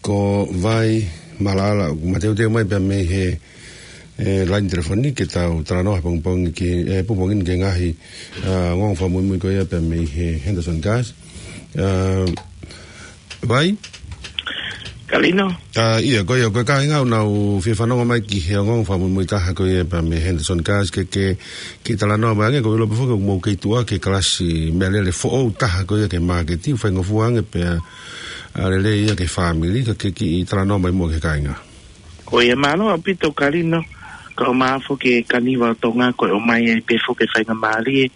Ko Vai Malaʻala, ʻoku mateuteu mai pea mei he, e, laini telefoni ke tau talanoa he pongipongi ki, e, pongipongi ni ki he ngaahi, a, ongoongo fakamuimui ko ia pea mei he Henderson Gas. A, Vai? Kalino. A, ia, ko ia, ko e kāinga ʻoku nau fie fanongo mai ki he ongoongo fakamuimui taha ko ia pea mei he Henderson Gas ke, ke, ke talanoa mai ange, ko e ʻilo pē foki ʻoku mou kei tuʻu ki he kalasi meʻalele foʻou taha ko ia ki he māketi, faingofua ange pea, a, lelei ia ki he fāmili, ka ke kiʻi talanoa mai muʻa ki he kāinga. Ko ia mālō ʻaupito Kalino, kae ʻumaʻā foki e Kaniva ʻo Tonga ko e ʻomai ai pē foki e faingamālie,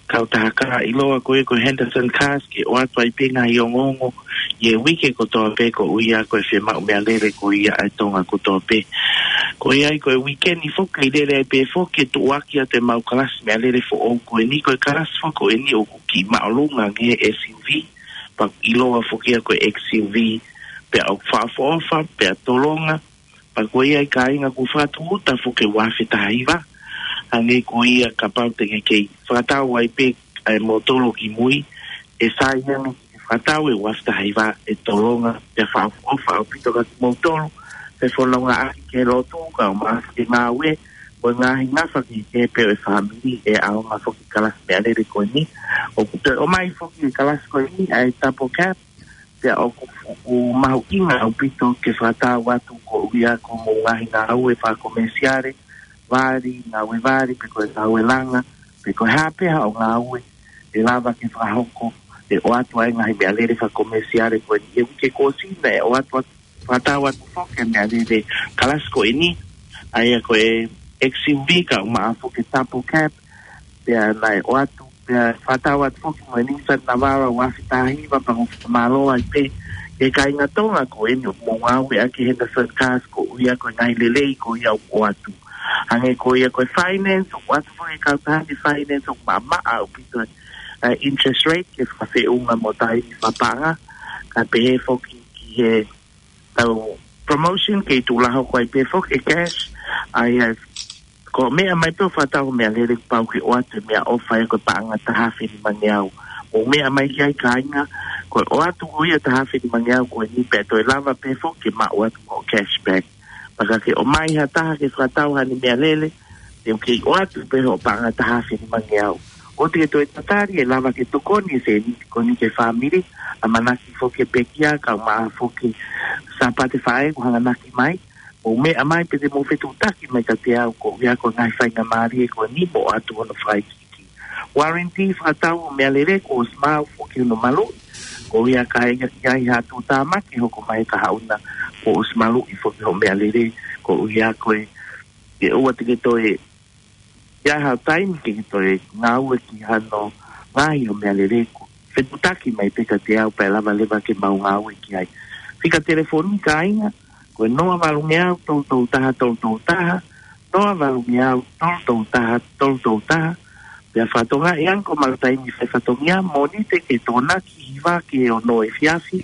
kautaha ʻiloa ko ia ko e Henderson Gas ke ʻoatu ai pē ngaahi ongoongo ʻi he uike kotoa pē koeʻuhi ko e fiemaʻu meʻalele ko ia ʻa e Tonga kotoa pē. Ko ia ai ko e uike ni foki ʻe lele ai pē foki e tuʻuaki atu e mau kalasi meʻalele foʻou ko eni, ko e kalasi foki ko eni ʻoku kiʻi māʻolunga ange he S U V, pea ʻiloa foki ia ko e X U V, pea ʻoku fakaʻofoʻofa, pea tolonga, pea ko ia ai kāinga ʻoku fakatūʻuta foki ʻe ua afe taha hiva. Hangē ko ia kapau te ke kei fakatau ai pē ʻa e motolo ki mui, ʻe sai ange ke fakatau ʻe ua afe taha hiva, ʻe tolonga, pea fakaʻofoʻofa ʻaupito kia kimoutolu, fefonongaʻaki ki he lotu, kae ʻumaʻā foki e ngāue, mo e ngaahi ngafa kehekehe pē ʻo e fāmili, ʻe ʻaonga foki e kalasi meʻalele ko eni. ʻOku toe ʻomai foki e kalasi ko eni ʻa e double cab, pea ʻoku, ʻoku mahuʻinga ʻaupito ke fakatau atu koeʻuhi ko hoʻomou ngaahi ngāue fakakomesiale, vali, ngāue vali, pe ko e ngāue langa, pe ko e hā pē haʻo ngāue, ʻe lava ke fakahoko, ʻe ʻoatu ai e ngaahi meʻalele fakakomesiale ko eni. ʻI he uike kuo ʻosi naʻe ʻoatu atu, fakatau atu foki e meʻalele kalasi ko eni, ʻa ia ko e X U V kae ʻumaʻā foki e double cab, pea naʻe ʻoatu, pea fakatau atu foki mo e Nissan Navara ua afe taha hiva, pea ʻoku fakamālō ai pē ki he kāinga Tonga ko eni ʻoku mou ngāueʻaki e Henderson Gas koeʻuhi ko e ngaahi lelei ko ia ʻoku ʻoatu. Hangē ko ia ko e finance, ʻoku ʻoatu foki e kautaha ni e finance ʻoku maʻamaʻa ʻaupito, e, interest rate ke fakafeʻunga mo e taimi fakapaʻanga, kae pehē foki ki he ʻetau promotion kei tuʻu lahi ko ia pē foki e cash, ʻa ia ko e meʻa mai pē ʻo fakatau e meʻalele kuo pau ke ʻoatu e meʻaʻofa ia ko e paʻanga taha afe nimangeau. Mou meʻa mai ki ai kāinga, ko e ʻoatu ko ia taha afe nimangeau ko eni pea toe lava pē foki ke maʻu atu mo e cashback. Pea ka ke ʻomai ha taha ke fakatau haʻane meʻalele, te u kei ʻoatu pē hoʻo paʻanga taha afe nimangeau. ʻOua te ke toe tatali, ʻe lava ke tokoni e sēniti ko eni ki he fāmili, ʻamanaki foki e pekia, kae ʻumaʻā foki e Sāpate Faʻē kuo hanganaki mai, mou meʻa mai pea te mou fetuʻutaki mai kiate au koeʻuhi ko e ngaahi faingamālie ko eni mo ʻoatu hono fakaikiiki. Warranty fakatau ʻo e meʻalele kuo ʻosi maʻu foki hono maluʻi, koeʻuhi ka ʻi ai ha tuʻutāmaki hoko mai he kahaʻu na kuo ʻosi maluʻi foki hoʻo meʻalele, koeʻuhi ko e ke ʻoua te ke toe ʻi ai haʻo taimi ke ke toe ngāue ki hano ngaahi ʻo e meʻalele, ko e fetuʻutaki mai pē kiate au pea ʻe lava leva ke mau ngāue ki ai. Fika telefoni kāinga, ko e noa valungeau tolu tolu taha tolu tolu taha, noa valungeau tolu tolu taha tolu tolu taha, pea fakatokangaʻi ange ko e maʻu taimi fai fatongia, Mōnite ki he Tokonaki hiva ki he ono efiafi,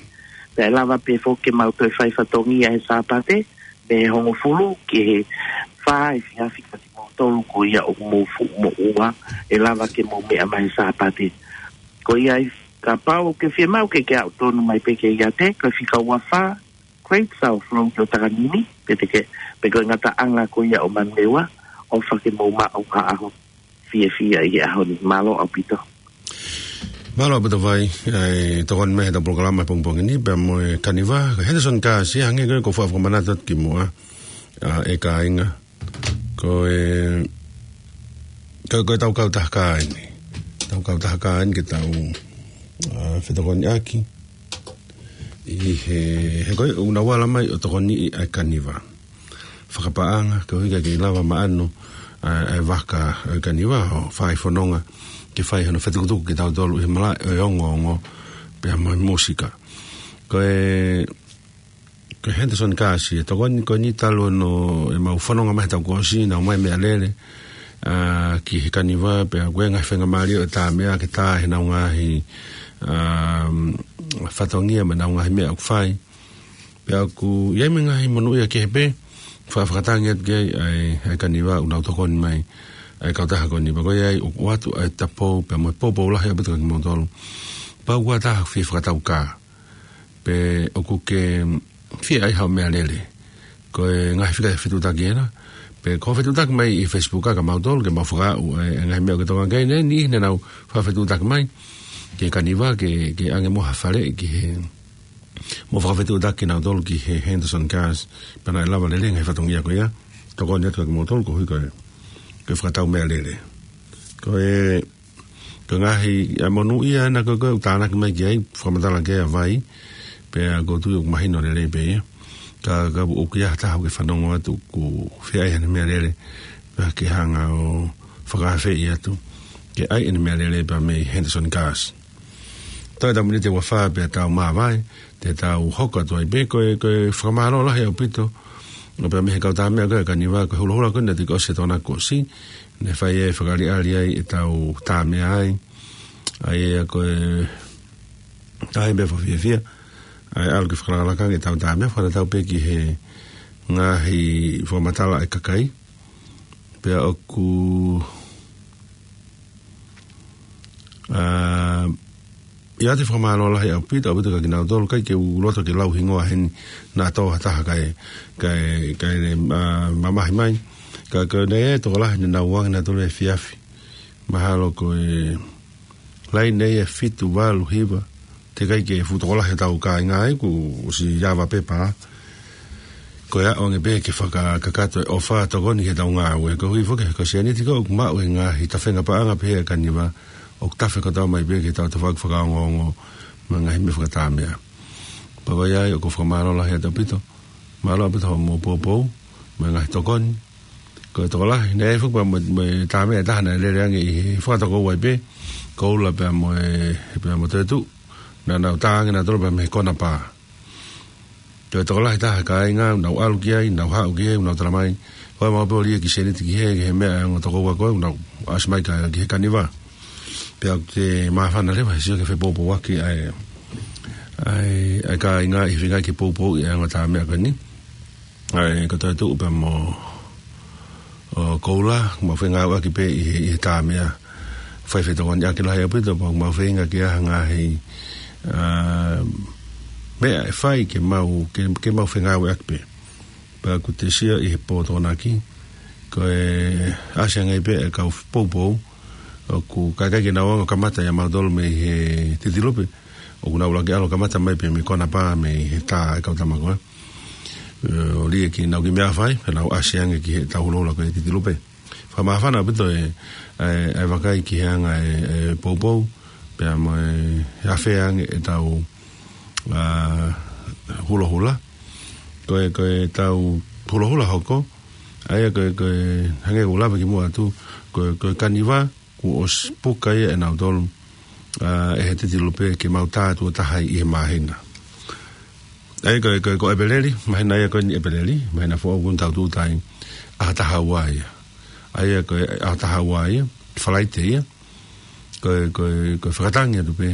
pea ʻe lava pē foki ke mau toe fai fatongia he Sāpate, mei he hongofulu ki he fā efiafi kiate kimoutolu ko ia ʻoku mou fuʻu moʻua, ʻe lava ke mou meʻa mai he Sāpate. Ko ia ai, kapau ʻoku ke fiemaʻu ke ke aʻu tonu mai pē ki he iate, ko e fika ua fā, Great South Road ʻo Takanini, pe te ke, pe ko e ngataʻanga ko ia ʻo Manurewa, ʻofa ke mou maʻu ha ʻaho fiefia ʻi he ʻaho ni. Mālō ʻaupito. Mālō ʻaupito Vai, ʻa e tokoni mai heʻetau polokalama he pongipongi ni, pea mo e Kaniva, ko e Henderson Gas, ia hangē ko e ʻoku ou faʻa fakamanatu atu kimuʻa, ʻa e kāinga, ko e, ko, ko ʻetau kautaha kā eni. ʻEtau kautaha kā eni ke tau, ʻa, fetokoniʻaki. ʻI he, he ko e, ʻoku nau ala mai ʻo tokoniʻi ʻa e Kaniva. Fakapaʻanga, koeʻuhi ke lava maʻano, ʻa, ʻa e vaka ʻo e Kaniva, ʻo fai fononga, ke fai hono fetukutuku kitautolu ʻi he malaʻe ʻo e ongoongo, pea mo e mūsika. Ko e, ko e Henderson Gas, ʻe tokoni ko eni talu hono ʻemau fononga mai he taʻu kuo ʻosi, nau ʻomai e meʻalele, ʻa, ki he Kaniva, pea ko e ngaahi faingamālie ʻo e tā meʻa ke tā heʻenau ngaahi, ʻa, fatongia mo ʻenau ngaahi meʻa ʻoku fai. Pea ʻoku ʻi ai mo e ngaahi monūʻia kehe pē, fa-, fakatangi atu ki ai ʻa e, ʻa e Kaniva ʻoku nau tokoni mai, ʻa e kautaha ko eni pea ko ia ai ʻoku ʻoatu ʻa e tapou, pea mo e poupou lahi ʻaupito kia kimoutolu. Kapau ʻoku ʻi ai ha taha ʻoku fie fakatau kā. Pe ʻoku ke, fie ʻai haʻo meʻalele. Ko e ngaahi fika fetuʻutaki ena. Pea ko e fetuʻutaki mai ʻi Facebook ʻa kimautolu ke mau fakaaʻu e, e ngaahi meʻa ʻoku ke tokanga ki ai, ne, niʻihi ne nau fakafetuʻutaki mai ki he Kaniva ke, ke ʻange mo ha faleʻi ki he, mo fakafetuʻutaki kinautolu ki he Henderson Gas, pea naʻe lava lelei e ngaahi fatongia ko ia. Tokoni atu kia kimoutolu koeʻuhi ko e, ko e fakatau meʻalele. Ko e, ko e ngaahi, ʻa e monū ia ena ko e, ko e ʻoku tānaki mai ki ai, fakamatala ki ai ʻa Vai, pea ʻoku ou tui ʻoku mahino lelei pē ia. Ka, ka ʻoku ʻi ai ha taha ʻoku ke fanongo atu ʻoku fie ʻai haʻane meʻalele, pea ke hanga ʻo fakaafeʻi atu ke ʻai ʻene meʻalele pea mei Henderson Gas. Toe ʻetau miniti ʻe ua fā pea tau māvae, te tau hoko atu ai pē. Ko e, ko e fakamālō lahi ʻaupito. ʻO pea mei he kau tā meʻa ko e Kaniva, ko e hulohula ko eni naʻe toki ʻosi he Tokonaki kuo ʻosi. Ne fai e fakaʻaliʻali ai ʻetau tā meʻa ai. ʻA ia ko e, tā meʻa fakafiefia. ʻA e ʻalu ke fakalakalaka ʻetau tā meʻa, fakatatau pē ki he ngaahi fakamatala ʻa e kakai. Pea ʻoku, ʻa, ʻoatu e fakamālō lahi ʻaupito, ʻaupito kia kinautolu, ʻikai ke u loto ke lau hingoa heni naʻa tō ha taha kae, kae, kae, ʻa, mamahi mai. Ka, ka naʻe tokolahi ne nau ʻoange nautolu e efiafi. Mahalo ko e laine ia ʻe fitu, valu, hiva. Teʻeki ai ke fuʻu tokolahi ʻetau kāinga ai, kuo ʻosi ava pepa. Ko e ʻoange pē ke fakakakato e ʻofa tokoni ki heʻetau ngāue. Koeʻuhi foki ko e sēniti ko ē ʻoku maʻu he ngaahi tafenga paʻanga pehē ʻa e Kaniva, ʻoku tafe kotoa mai pē ki heʻetau tafaʻaki fakaongoongo mo e ngaahi meʻa fakatāmeʻa. Pea ʻi ai ʻoku ou fakamālō lahi atu ʻaupito. Mālō ʻaupito hoʻomou poupou mo e ngaahi tokoni. Ko e tokolahi, naʻe ʻi ai foki pea mo, mo e tā meʻa ʻe taha naʻe lele ange ʻi he fakatokoua ai pē, Koula pea mo e, pea mo Toetuʻu, naʻa nau tā ange nautolu pea mei he kona pā. Ko e tokolahi taha kāinga, nau ʻalu ki ai, nau haʻu ki ai, nau tala mai, ko e mau pē ʻo lī e kiʻi sēniti ki he, ki he meʻa ʻa e ongo tokoua ko ē, nau ʻasi mai ki he Kaniva. Pea ʻoku te māfana leva he sio ke fepoupouaki ʻa e, ʻa e, ʻa e kāinga ʻi he feinga ke poupouʻi ʻa e ongo tā meʻa ko eni. ʻA ia ko Toetuʻu pea mo, ʻo, Koula, mau fengāueʻaki pē ʻi he, ʻi he tā meʻa. Fai fetokoniʻaki lahi ʻaupito, pea mau feinga ke ʻai ha ngaahi, ʻa, meʻa ʻe fai ke mau, ke, ke mau fengāueʻaki pē. Pea ʻoku te sio ʻi he pō Tokonaki, ko e ʻasi ange pē e kau poupou, ʻoku ʻikai ke nau anga kamata ia mautolu mei he Titilupe, ʻoku nau lava ke ʻalu kamata mai pē mei kona pā mei he tā e kau tama ko ē. ʻO lī e kiʻi nau kiʻi meʻa fai, pea nau ʻasi ange ki heʻetau hulohula ko e Titilupe. Fakamāfana ʻaupito e, e, e vakai ki he anga e, e poupou, pea mo e, e afea ange ʻetau, ʻa, hulohula. Ko e, ko ʻetau hulohula hoko, ʻa ia ko e, ko e hangē ko e lave kimuʻa atu, ko e, ko e Kaniva, kuo ʻosi puka ia ʻe nautolu, ʻa, ʻe he Titilupe ke mau tā tuʻo taha ʻi he māhina. ʻA ia ko e, ko e, ko ʻEpeleli, māhina ia ko eni ʻEpeleli, māhina foʻou kuo tau tūʻuta ai, ʻaho taha ua ia. ʻA ia ko e, ʻaho taha ua ia, Falaite ia, ko e, ko e, ko e fakatangi atu pē,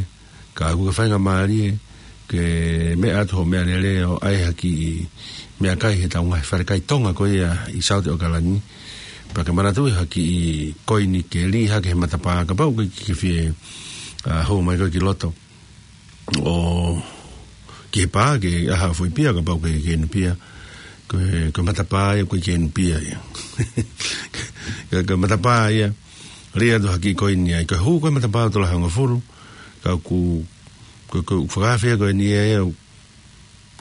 ka ʻoku ke faingamālie, ke meʻa atu hoʻo meʻalele ʻo ʻai ha kiʻi meʻakai heʻetau ngaahi falekai Tonga ko ia ʻi Saute ʻAokalani. Pea ke manatuʻi ha kiʻi koini ke lī hake he matapā kapau ʻoku ke fie, ʻa, hū mai koe ki loto. ʻO ki he pā ke ʻai ha foʻi pia kapau ʻoku ke inu pia. Ko e, ko e matapā ia ʻoku ke inu pia ia. Ko e, ko e matapā ia. Lī atu ha kiʻi koini ai. Ko e hū ko e matapā ʻo tola hongofulu. Ka ʻoku, ko e, ko e fakaafea ko eni ia, ia,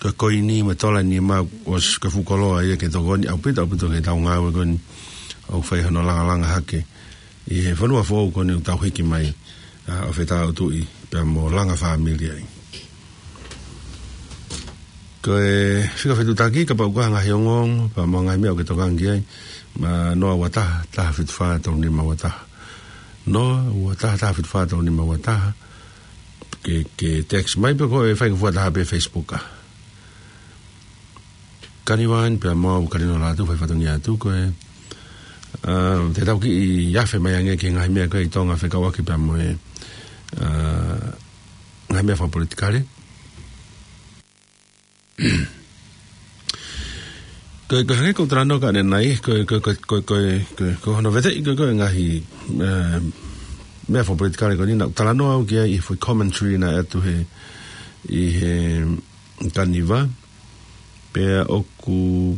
ko e koini mo e tola ni ma ʻosi ko e fuʻu koloa ia ke tokoni ʻaupito, ʻaupito ke tau ngāue ko eni ʻo fai hono langalanga hake ʻi he fonua foʻou ko eni ʻoku tau hiki mai, ʻa, ʻo fetautuʻi pea mo langa fāmili ai. Ko e fika fetuʻutaki, kapau ʻoku ʻi ai ha ngaahi ongoongo, pea mo e ngaahi meʻa ʻoku ke tokanga ki ai, ma noa ua taha, taha fitu fā tolu nima ua taha. Noa ua taha, taha fitu fā tolu nima ua taha. Ke, ke text mai pe ko e fai ngofua taha pē Facebook ʻa. Kaniva ni pea mo au Kalino Lātū fai fatongia atu ko e, ʻa, te tau kiʻi afe mai ange ki he ngaahi meʻa ko ē ʻi Tonga fekauʻaki pea mo e, ʻa, ngaahi meʻa fakapolitikale. Ko e, ko e hangē ko e talanoa ko ē ʻanenai, ko e, ko e, ko hono veteʻi ko ē, ko e ngaahi, ʻa, meʻa fakapolitikale ko eni naʻa ku talanoa au ki ai ʻi he foʻi commentary naʻe ʻatu he, ʻi he Kaniva. Pea ʻoku,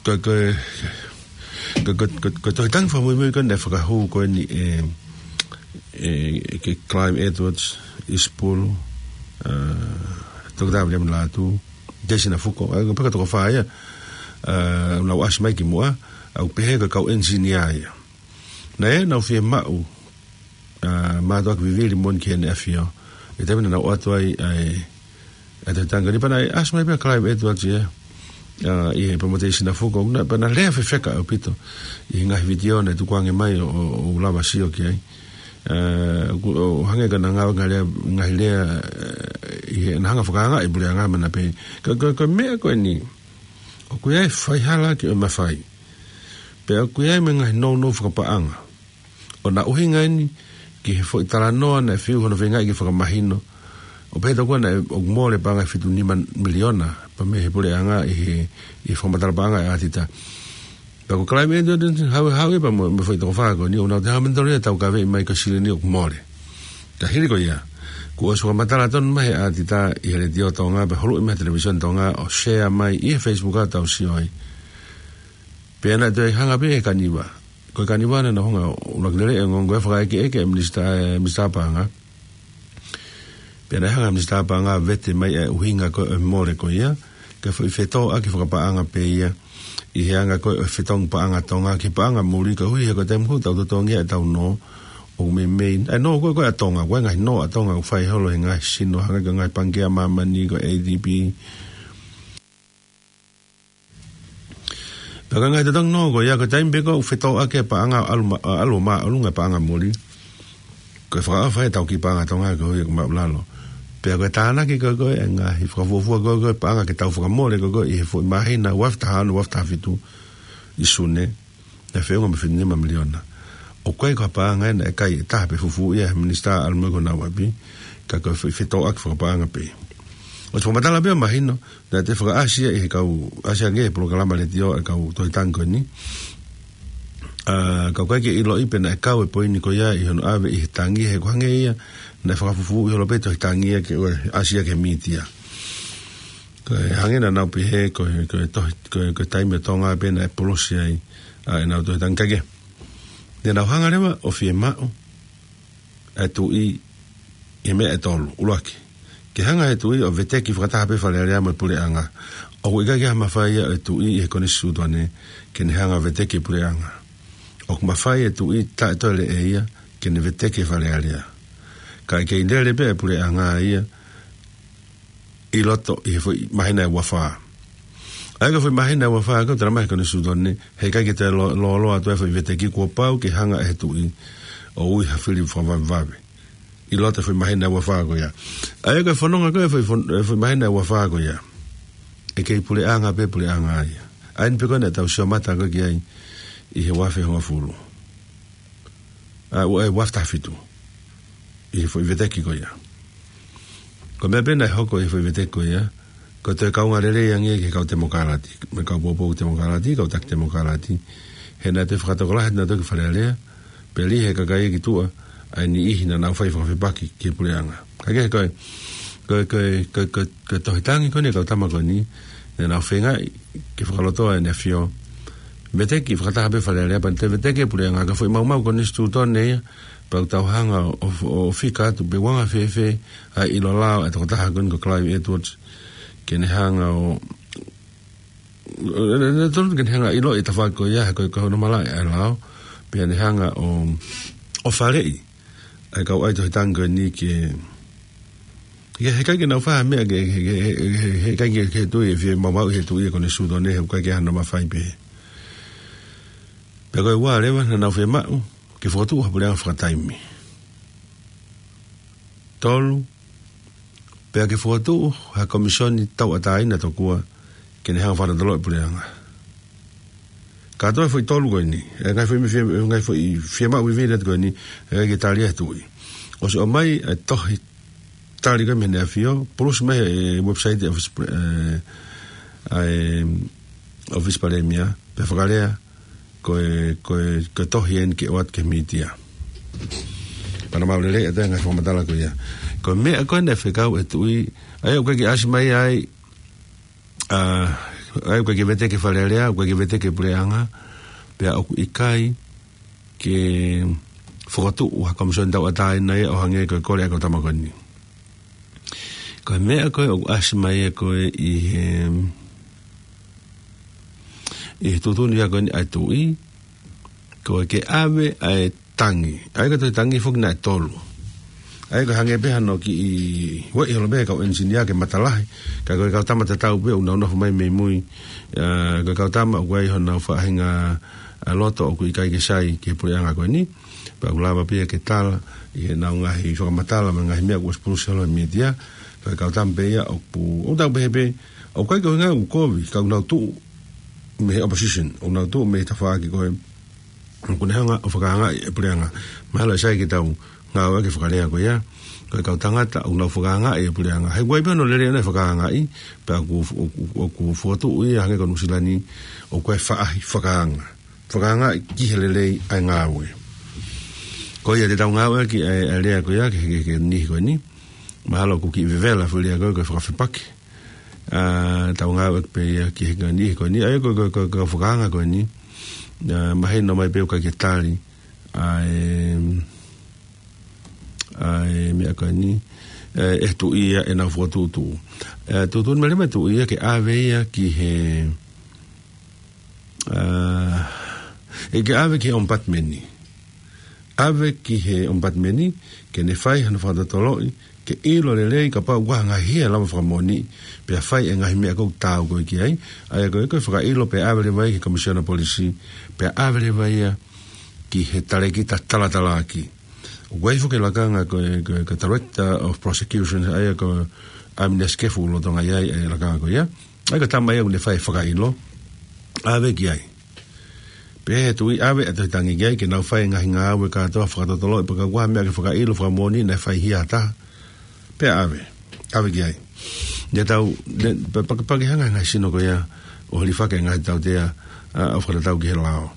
ko, ko, ko, ko, ko, ko e tohi tangi fakamuimui ko eni naʻe fakahū ko eni ʻe, ʻe, ki Clive Edwards, ʻIsipulu, ʻa, Toketā Viliami Lātū, Daisy Nafuko, ʻa, ko e peka toko fā ia, ʻa, naʻa nau ʻasi mai kimuʻa, ʻa, ʻoku pehē ko e kau engineer ia. Naʻe, naʻa nau fiemaʻu, ʻa, mātuʻaki vivili moʻoni ki Heʻene ʻAfio. ʻI he taimi naʻa nau ʻoatu ai, ʻa e, ʻa e tohi tangi ni pea naʻe ʻasi mai pē ʻa Clive Edwards ia, ʻa, ʻi he palōmesi ʻa Daisy Nafuko, naʻe, pea naʻe lea fefeka ʻaupito ʻi he ngaahi vitiō naʻe tukuange mai ʻo, ʻo, ʻo lava ʻo sio ki ai. ʻA, ʻoku, ʻo hangē ko ʻena ngaahi lea, ngaahi lea, ʻa, ʻi heʻena hanga ʻo fakaangaʻi e puleʻanga, mana pē. Ko, ko, ko e meʻa ko eni, ʻoku ʻi ai e faihala ki hoʻo mafai. Pea ʻoku ʻi ai mo e ngaahi nounou fakapaʻanga. ʻO naʻe ʻuhinga eni ki he foʻi talanoa naʻe fiu hono feingaʻi ke fakamahino, ʻo pehē tokua naʻe ʻoku mole e paʻanga ʻe fitu nima miliona pea mei he puleʻanga ʻi he, ʻi he fakamatala paʻanga ʻa e ʻatita. Pea ko Clive Edwards, hau, hau ia pea mo, mo e foʻi toko fā ko eni, ʻoku nau toe hanga ʻo monitor ʻo taukaveʻi mai ko e silini ʻoku mole. Ka hili ko ia, kuo ʻosi fakamatala tonu mai he ʻatita ʻi he Letiō Tonga, pea huluʻi mai he Televīsone Tonga, ʻo share mai ʻi he Facebook ʻa ʻetau sio ai. Pea naʻe toe hanga pē ʻe he kaniva. Ko e kaniva naʻa nau hanga ʻo ʻuluaki lele e ongoongo ʻo fakaʻekeʻeke e minisitā, e minisitā paʻanga. Pea naʻe hanga e minisitā paʻanga ʻo vete mai e ʻuhinga ko ē ʻo e mole ko ia, ko e foʻi fetōʻaki fakapaʻanga pē ia ʻi he anga ko ē ʻo e fetongi paʻanga ʻa Tonga ki he paʻanga muli, koeʻuhi he ko e taimi hū tau totongi ʻetau nō, ʻoku meimei, ʻa e nō ko ē ko ē ʻa Tonga, ko e ngaahi nō ʻa Tonga ʻoku fai holo ʻe he ngaahi sino, hangē ko e ngaahi pangikē ʻa māmani, ko e A D B. Pea ko e ngaahi totongi nō ko ia, ko e taimi pē ko ē ʻoku fetōʻaki e paʻanga ʻo ʻalu ma-, ʻo ʻalu ʻo māʻolunga e paʻanga muli, ko e fakaʻofa ʻetau kiʻi paʻanga ʻa Tonga koeʻuhi ko e maʻulalo. Pea ko e tānaki ko ē ko ē e ngaahi fakafuofua ko ē ko ē paʻanga ke tau fakamole ko ē ko ē ʻi he foʻi māhina ua afe taha ono, ua afe taha fitu ʻi Sune, naʻe feʻunga mo e fitu nima miliona. ʻOku ʻikai ko ha paʻanga ia naʻe kai ʻe taha pē fufuuʻi ia ʻe he minisitā ʻalu mo ia ki honau ʻapi, ka ko e fe-, fetōʻaki fakapaʻanga pē. ʻOsi fakamatala pē ʻo mahino, naʻe toe fakaʻasi ia ʻe he kau, ʻasi ange he polokalama letiō ʻa e kau tohi tangi ko eni. ʻA, ka ʻoku ʻikai ke ʻiloʻi pe naʻe kau e poini ko ia ʻi hono ʻave ʻi he tangi, he ʻoku hangē ia naʻe fakafufuuʻi holo pē e tohi tangi ia ke ʻoua ʻe ʻasi ia ki he mītia. Ko e hangē naʻa nau pehē ko e, ko e tohi, ko e, ko e taimi ʻo Tonga pē naʻe polosi ai ʻa ʻenau tohi tangi, kae kehe, naʻa nau hanga leva ʻo fiemaʻu ʻa e Tuʻi ʻi he meʻa ʻe tolu. ʻUluaki, ke hanga ʻe he Tuʻi ʻo veteki fakataha pē Fale Alea mo e Puleʻanga. ʻOku ʻikai ke ʻi ai ha mafai ia ʻo e Tuʻi ʻi he Konisitūtone ke ne hanga ʻo veteki e Puleʻanga. ʻOku mafai ʻe he Tuʻi taʻe toe leʻeia ke ne veteki e Fale Alea. Kae kei lele pē ʻa e Puleʻanga ia ʻi loto ʻi he foʻi māhina ʻe ua fā. ʻA ia ko e foʻi māhina ʻe ua fā ko ē ʻoku talamai ʻe he Konisitūtone, he ʻikai ke toe lō-, lōloa atu e foʻi veteki, kuo pau ke hanga ʻe he Tuʻi ʻo ui ha fili fakavavevave ʻi loto he foʻi māhina ʻe ua fā ko ia. ʻA ia ko e fononga ko ē e foʻi fon-, e foʻi māhina ʻe ua fā ko ia, ʻe kei puleʻanga pē puleʻanga ia. ʻA ia eni pē ko ē naʻa tau sio mata ko ē ki ai ʻi he ua afe hongofulu. ʻA, ua, ʻe, ua afe taha fitu. ʻI he foʻi veteki ko ia. Ko e meʻa pē naʻe hoko ʻi he foʻi veteki ko ia, ko e toe kaunga lelei ange ki he kau Temokalati, mo e kau poupou Temokalati, kau taki Temokalati. He naʻe toe fakatokolahi atu nautolu ki Fale Alea, pea lī he kakai ki tuʻa ʻa e niʻihi naʻa nau fai fakafepaki ki he puleʻanga. Kae kehe ko e, ko e, ko e, ko e, ko e, ko e tohi tangi ko eni ʻa e kau tama ko eni, naʻa nau feingaʻi ke fakalotoa ʻEne ʻAfio, veteki fakataha pē Fale Alea, pea toe veteki e puleʻanga, ko e foʻi maumau Konisitūtone ia, pea ʻoku tau hanga ʻo, ʻo, ʻo fika atu pe ʻoku anga fēfē ʻa e ʻilo lao ʻa e tokotaha ko eni ko Clive Edwards ke ne hanga ʻo, ʻo, ʻo, ʻo, ʻo, ke ne hanga ʻo ʻiloʻi e tafaʻaki ko ia, he ko e, ko hono malaʻe ʻa e lao, pea ne hanga ʻo, ʻo faleʻi ʻa e kau ʻai tohi tangi ko eni ke, ke, he ʻikai ke nau fai ha meʻa ke, ke, ke, he, he, he ʻikai ke, ke tuʻi e fiemaʻu ʻe he Tuʻi e Konisitūtone, he ʻoku ʻikai ke ʻi ai hano mafai pē. Pea ko e ua leva naʻa nau fiemaʻu ke fokotuʻu ha puleʻanga fakataimi. Tolu, pea ke fokotuʻu ha komisioni tauʻatāina tokua ke ne hanga ʻo fakalotoloto e puleʻanga. Kātoa e foʻi tolu ko eni, e ngaahi foʻi, fie-, ngaahi foʻi fiemaʻu vivili atu ko eni, ʻe ʻikai ke tali ia ʻe he Tuʻi. ʻOsi ʻomai e tohi tali ko ē mei heʻEne ʻAfio, pulusi mai he website ʻa e ʻOfisi Pale-, ē, ʻa e ʻOfisi Palēmia, pea fakalea ko e, ko e, ko e tohi eni ke ʻoatu ki he mītia. Pea naʻa mau lele atu e ngaahi fakamatala ko ia. Ko e meʻa ko ē naʻe fekau ʻe he Tuʻi, ʻa ia ʻoku ʻikai ke ʻasi mai ai ʻA, ʻa ia ʻoku ʻikai ke veteki ʻe Fale Alea, ʻoku ʻikai ke veteki ʻe he puleʻanga, pea ʻoku ʻikai ke fokotuʻu ha komisoni tauʻatāina ia ʻo hangē ko e kole ʻa e kau tama ko eni. Ko e meʻa ko ē ʻoku ʻasi mai ia ko ē ʻi he, ʻi he tuʻutuʻuni ia ko eni ʻa e tuʻi, ko e ke ʻave ʻa e tangi. ʻA ia ko e tangi foki naʻe tolu. ʻA ia ko e hangē pē hano kiʻi ueʻi holo pē ʻe he kau engineer ke matalahi. Ka ko e kau tama tatau pē ʻoku nau nofo mai mei mui. ʻA, ko e kau tama ʻoku ʻi ai honau faʻahinga, ʻa, loto ʻoku ʻikai ke sai ki he puleʻanga ko eni. Pea ʻoku lava pē ia ke tala ʻi heʻenau ngaahi fakamatala mo e ngaahi meʻa kuo ʻosi pulusi holo he mītia. Ko e kau tama pē ia ʻoku, ʻoku tau pehē pē, ʻoku ʻikai ko e ʻuhinga ʻoku kovi, ka ʻoku nau tuʻu mei he opposition, ʻoku nau tuʻu mei he tafaʻaki ko ē ʻoku ne hanga ʻo fakaangaʻi e puleʻanga. Mahalo ʻe sai ke tau ngāueʻaki e fakalea ko ia, ko e kau tangata ʻoku nau fakaangaʻi e puleʻanga. He ʻoku ʻi ai pē hono lelei ʻona e fakaangaʻi, pea ʻoku, ʻoku, ʻoku fokotuʻu ia hangē ko Nuʻusila ni, ʻoku ʻi ai e faʻahi fakaanga. Fakaangaʻi ki he lelei ʻa e ngāue. Ko ia te tau ngāueʻaki e, e lea ko ia ki he, ki he, ki he niʻihi ko eni. Mahalo ʻoku kiʻi vevela e foʻi lea ko ē ko e fakafepaki. ʻA, tau ngāueʻaki pē ia ki he niʻihi ko eni. ʻA ia ko e, ko e, ko e, ko e fakaanga ko eni. ʻA, mahino mai pē ʻoku ʻikai ke tali ʻa e, ʻa e meʻa ko eni, ʻe, ʻe he tuʻi ia ʻenau fokotuʻutuʻu. ʻE, tuʻutuʻuni mai leva e tuʻi ia ke ʻave ia ki he, ʻa, ʻe ke ʻave ki he ʻomipatimeni. ʻAve ki he ʻomipatimeni, ke ne fai hano fakatotoloʻi, ke ʻilo lelei kapau ʻoku ʻi ai ha ngaahi hia ʻe lava fakamoʻoniʻi, pea fai e ngaahi meʻa ʻoku taau ko ē ki ai, ʻa ia ko e, ko e fakaʻilo pea ʻave leva ia ki he Komisiona Polisi, pea ʻave leva ia ki he talēkita talatalaaki. ʻOku ʻi ai foki e lakanga ko e, ko e, ko e Director of Prosecution, ʻa ia ko ʻAmine Sikefu lolotonga ʻi ai e lakanga ko ia. ʻA ia ko e tama ia ʻoku ne fai e fakaʻilo, ʻave ki ai. Pea ʻe tuʻi ʻave ʻa e tohi tangi ki ai, ke nau fai e ngaahi ngāue kātoa fakatotoloʻi, pea kapau ʻoku ʻi ai ha meʻa ke fakaʻilo fakamoʻoniʻi naʻe fai ʻe ha taha, pea ʻave, ʻave ki ai. Naʻa tau, ne, pa-, pa-, pea ke hanga ʻe he ngaahi sino ko ia ʻo hilifaki e ngaahi tautea, ʻa, ʻo fakatatau ki he lao.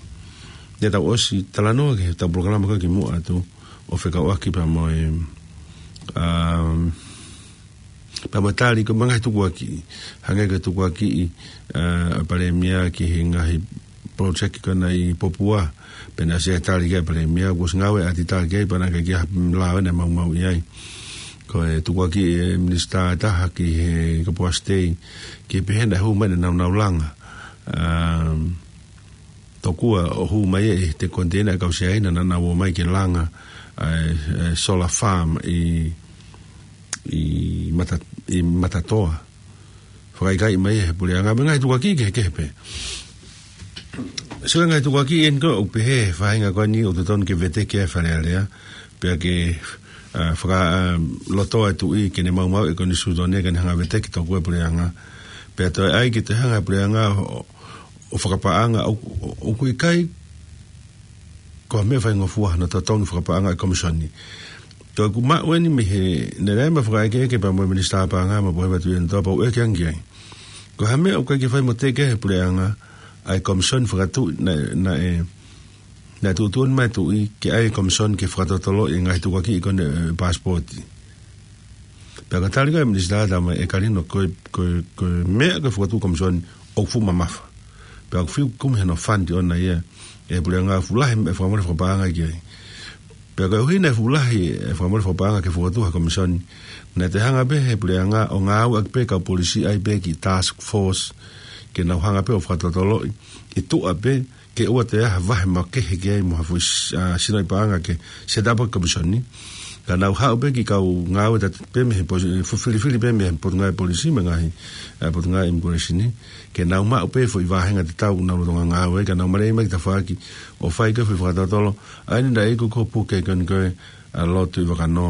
Naʻa tau ʻosi talanoa ki heʻetau polokalama ko ē kimuʻa atu, ʻo fekauʻaki pea mo e, um, pea mo e tali ko ē mo e ngaahi tukuakiʻi. Hangē ko e tukuakiʻi, ʻa, ʻa e Palēmia ki he ngaahi project ko ena ʻi Popua. Pea naʻe ʻasi e tali ki ai e Palēmia, kuo ʻosi ngāueʻaki e ʻatitā ki ai, pea naʻe ʻikai ke ʻi ai ha lao ʻe maumauʻi ai. Ko e tukuakiʻi e minisitā ʻe taha ki he Kapuasi Tei, ke pehē naʻe hū mai ʻenau nau langa. Um, tokua ʻo hū mai ʻi he koniteina ʻa e kau Siaina naʻa nau ō mai ke langa ʻa e, e solar farm ʻi, ʻi Mata-, ʻi Matatoa. Fakaʻikaiʻi mai ʻe he puleʻanga mo e ngaahi tukuakiʻi kehekehe pē. Sio ki he ngaahi tukuakiʻi eni ko ē ʻoku pehē ʻe he faʻahinga ko eni ʻoku totonu ke veteki ʻe Fale Alea, pea ke, ʻa, faka-, ʻa, loto e tuʻi ke ne maumauʻi e konisitūtone ke ne hanga veteki tokua e puleʻanga. Pea toe ʻai ke toe hanga e puleʻanga ʻo, ʻo fakapaʻanga ʻo, ʻo, ʻoku ʻikai ko ha meʻa faingofua hano totongi fakapaʻanga e komisoni. Ko ʻeku maʻu eni mei he, naʻe ʻi ai ʻema fakaʻekeʻeke pea mo e Minisitā Paʻanga mo Poheva Tuʻiʻonetoa pea u ʻeke ange ki ai. Ko ha meʻa ʻoku ʻikai ke fai mo teke ʻe he puleʻanga ʻa e komisoni fakatuʻi naʻe, naʻe, naʻe tuʻutuʻuni mai e tuʻi ke ʻai e komisoni ke fakatotoloʻi e ngaahi tukuakiʻi ko eni e paasipooti. Pea ko e tali ko ē ʻa e Minisitā Tama ʻe Kalino ko e, ko e, ko e meʻa ko e fokotuʻu komisoni ʻoku fuʻu mamafa. Pea ʻoku fiu kumi hano fund ʻoʻona ia ʻe he puleʻanga, fuʻu lahi e meʻa fakamole fakapaʻanga ki ai. Pea koeʻuhi naʻe fuʻu lahi e fakamole fakapaʻanga ke fokotuʻu ha komisoni, naʻe toe hanga pē ʻe he puleʻanga ʻo ngāueʻaki pē e kau polisi, ʻai pē e kiʻi task force ke nau hanga pē ʻo fakatotoloʻi ʻi tuʻa pē, ke ʻoua toe ʻi ai ha vahe makehe ki ai mo ha foʻi s-, ʻa, sinoʻi paʻanga ke set up e komisoni. Ka nau haʻu pē e kiʻi kau ngāue tatau pē mei he posi-, fu-, filifili pē mei he Potungāue Polisi mo e ngaahi, ʻa, Potungāue Imikulesini, ke nau maʻu pē e foʻi vāhenga tatau ʻoku nau lolotonga ngāue ai, ka nau maleʻi mai ki tafaʻaki ʻo fai ko ē e foʻi fakatotolo. ʻA eni naʻe iku ko e puke ko eni ko ē ʻa Lord Tuʻivakanō,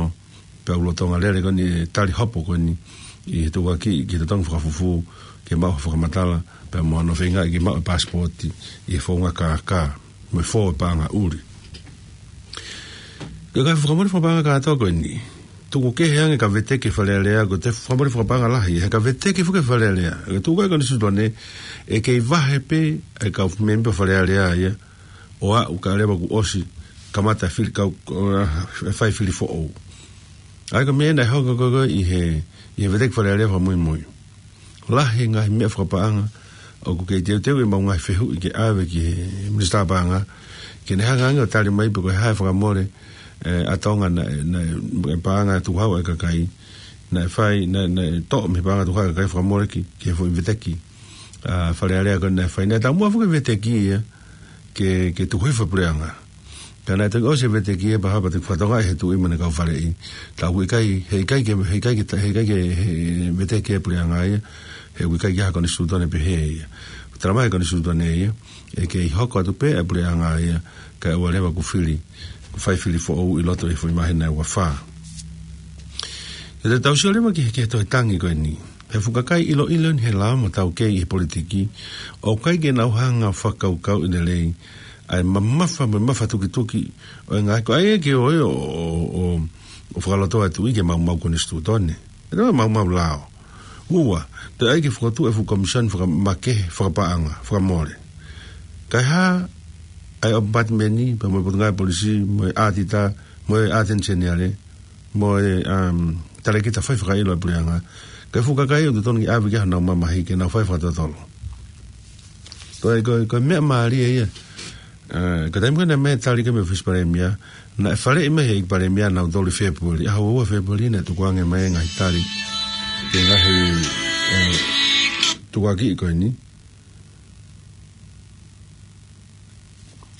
pea u lolotonga lele ko eni e tali hopo ko eni ʻi he tukuakiʻi ki he totongi fakafufū, ke maʻu ha fakamatala pea mo hano feingaʻi ke maʻu e paasipooti ʻi he founga kākā mo e fō e paʻanga ʻuli. Ko e ngaahi fakamole fakapaʻanga kātoa ko eni, tuku kehe ange ka veteki ʻe Fale Alea, ko e toe fakamole fakapaʻanga lahi, he ka veteki foki ʻe Fale Alea, ko e tuʻu ko ē e konisitūtone, ʻe kei vahe pē e kau mēmipa ʻo Fale Alea ia, ʻo aʻu kae ʻoua leva kuo ʻosi kamata e fili kau, ʻo, ʻa, fai fili foʻou. ʻA ia ko e meʻa naʻe hoko ko ē ko ē ʻi he, ʻi he veteki ʻe Fale Alea fakamuimui. lahi e ngaahi meʻa fakapaʻanga ʻoku kei teuteu ʻemau ngaahi fehuʻi ke ʻave ki he Minisitā Paʻanga, ke ne hanga ange ʻo tali mai pe ko e hā e fakamole ʻa Tonga naʻe, naʻe, e paʻanga tukuhau ʻa e kakai naʻe fai, naʻe, naʻe toʻo mei he paʻanga tukuhau ʻa e kakai fakamole ki, ki he foʻi veteki Fale Alea ko ē naʻe fai. Naʻe taumuʻa foki e veteki ia ke, ke tuku hifo e puleʻanga. Ka naʻe toki ʻosi e veteki ia pea hapa te fatonga he Tuʻi mo ʻene kau faleʻi. Ka ʻoku ʻikai, heʻikai ke, heʻikai ke, heʻikai ke, he veteki e puleʻanga ia, he ʻoku ʻikai ke ʻi ai ha konisitūtone pehē ia. Talamai he konisitūtone ia ʻe kei hoko atu pē e puleʻanga ia, kae ʻoua leva kuo fili, kuo fai fili foʻou ʻi loto he foʻi māhina ʻe ua fā. Te tau sio leva ki he, ki he tohi tangi ko eni. He fuʻu kakai ʻiloʻilo ni he lao mo taukei ʻi he politiki, ʻoku ʻikai ke nau hanga ʻo fakakaukauʻi lelei ʻa e mamafa mo e mafatukituki ʻo e ngaahi, ko ia ke ʻoua ʻo, ʻo, ʻo, ʻo fakalotoa e Tuʻi ke maumau konisitūtone. ʻE toe maumau lao. Ua, toe ʻai ke fokotuʻu e fuʻu komisione fakamakehe, fakapaʻanga, fakamole. Kae hā ʻa e ʻOpatimeni, pea mo e Potungāue Polisi, mo e ʻAtita, mo e ʻAteni Seniale, mo e, um, Talēkita Fai Fakaʻilo ʻa e puleʻanga. Ko e fuʻu kakai ʻoku totonu ke ʻave ki ai honau mamahi ke nau fai fakatotolo. Ko e, ko e, ko e meʻa mālie ia. ʻA, ko e taimi ko ē naʻe meʻa tali ko ē mei he ʻOfisi Palēmia, naʻe faleʻi mai he ʻEiki Palēmia ʻa nautolu ʻi Fēpueli. ʻAho ua Fēpueli naʻe tukuange mai e ngaahi tali ki he ngaahi, ʻe, tukuakiʻi ko eni.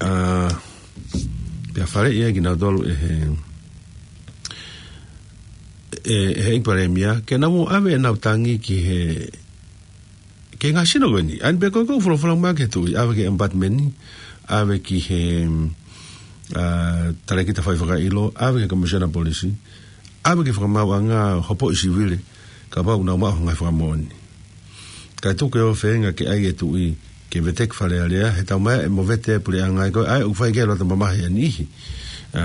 ʻA, pea faleʻi ia kinautolu ʻe he, ʻe, ʻe he ʻEiki Palēmia, ke nau ʻave ʻenau tangi ki he, ki he ngaahi sino ko eni. ʻA ia pē ko e, ko e folofola mai ki he Tuʻi, ʻave ki he ʻOpatimeni, ʻave ki he, ʻa, Talēkita Fai Fakaʻilo, ʻave ki he Komisiona Polisi, ʻave ki he Fakamaauʻanga Hopoiʻi Sivile, kapau ʻoku nau maʻu ha ngaahi fakamoʻoni. Kae tuku e ʻofefine ke ʻai e Tuʻi ke veteki Fale Alea, he taumaiā e movete e puleʻanga ia ko ē, ʻa ia ʻoku fai ki ai e loto mamahi ʻa e niʻihi. ʻA,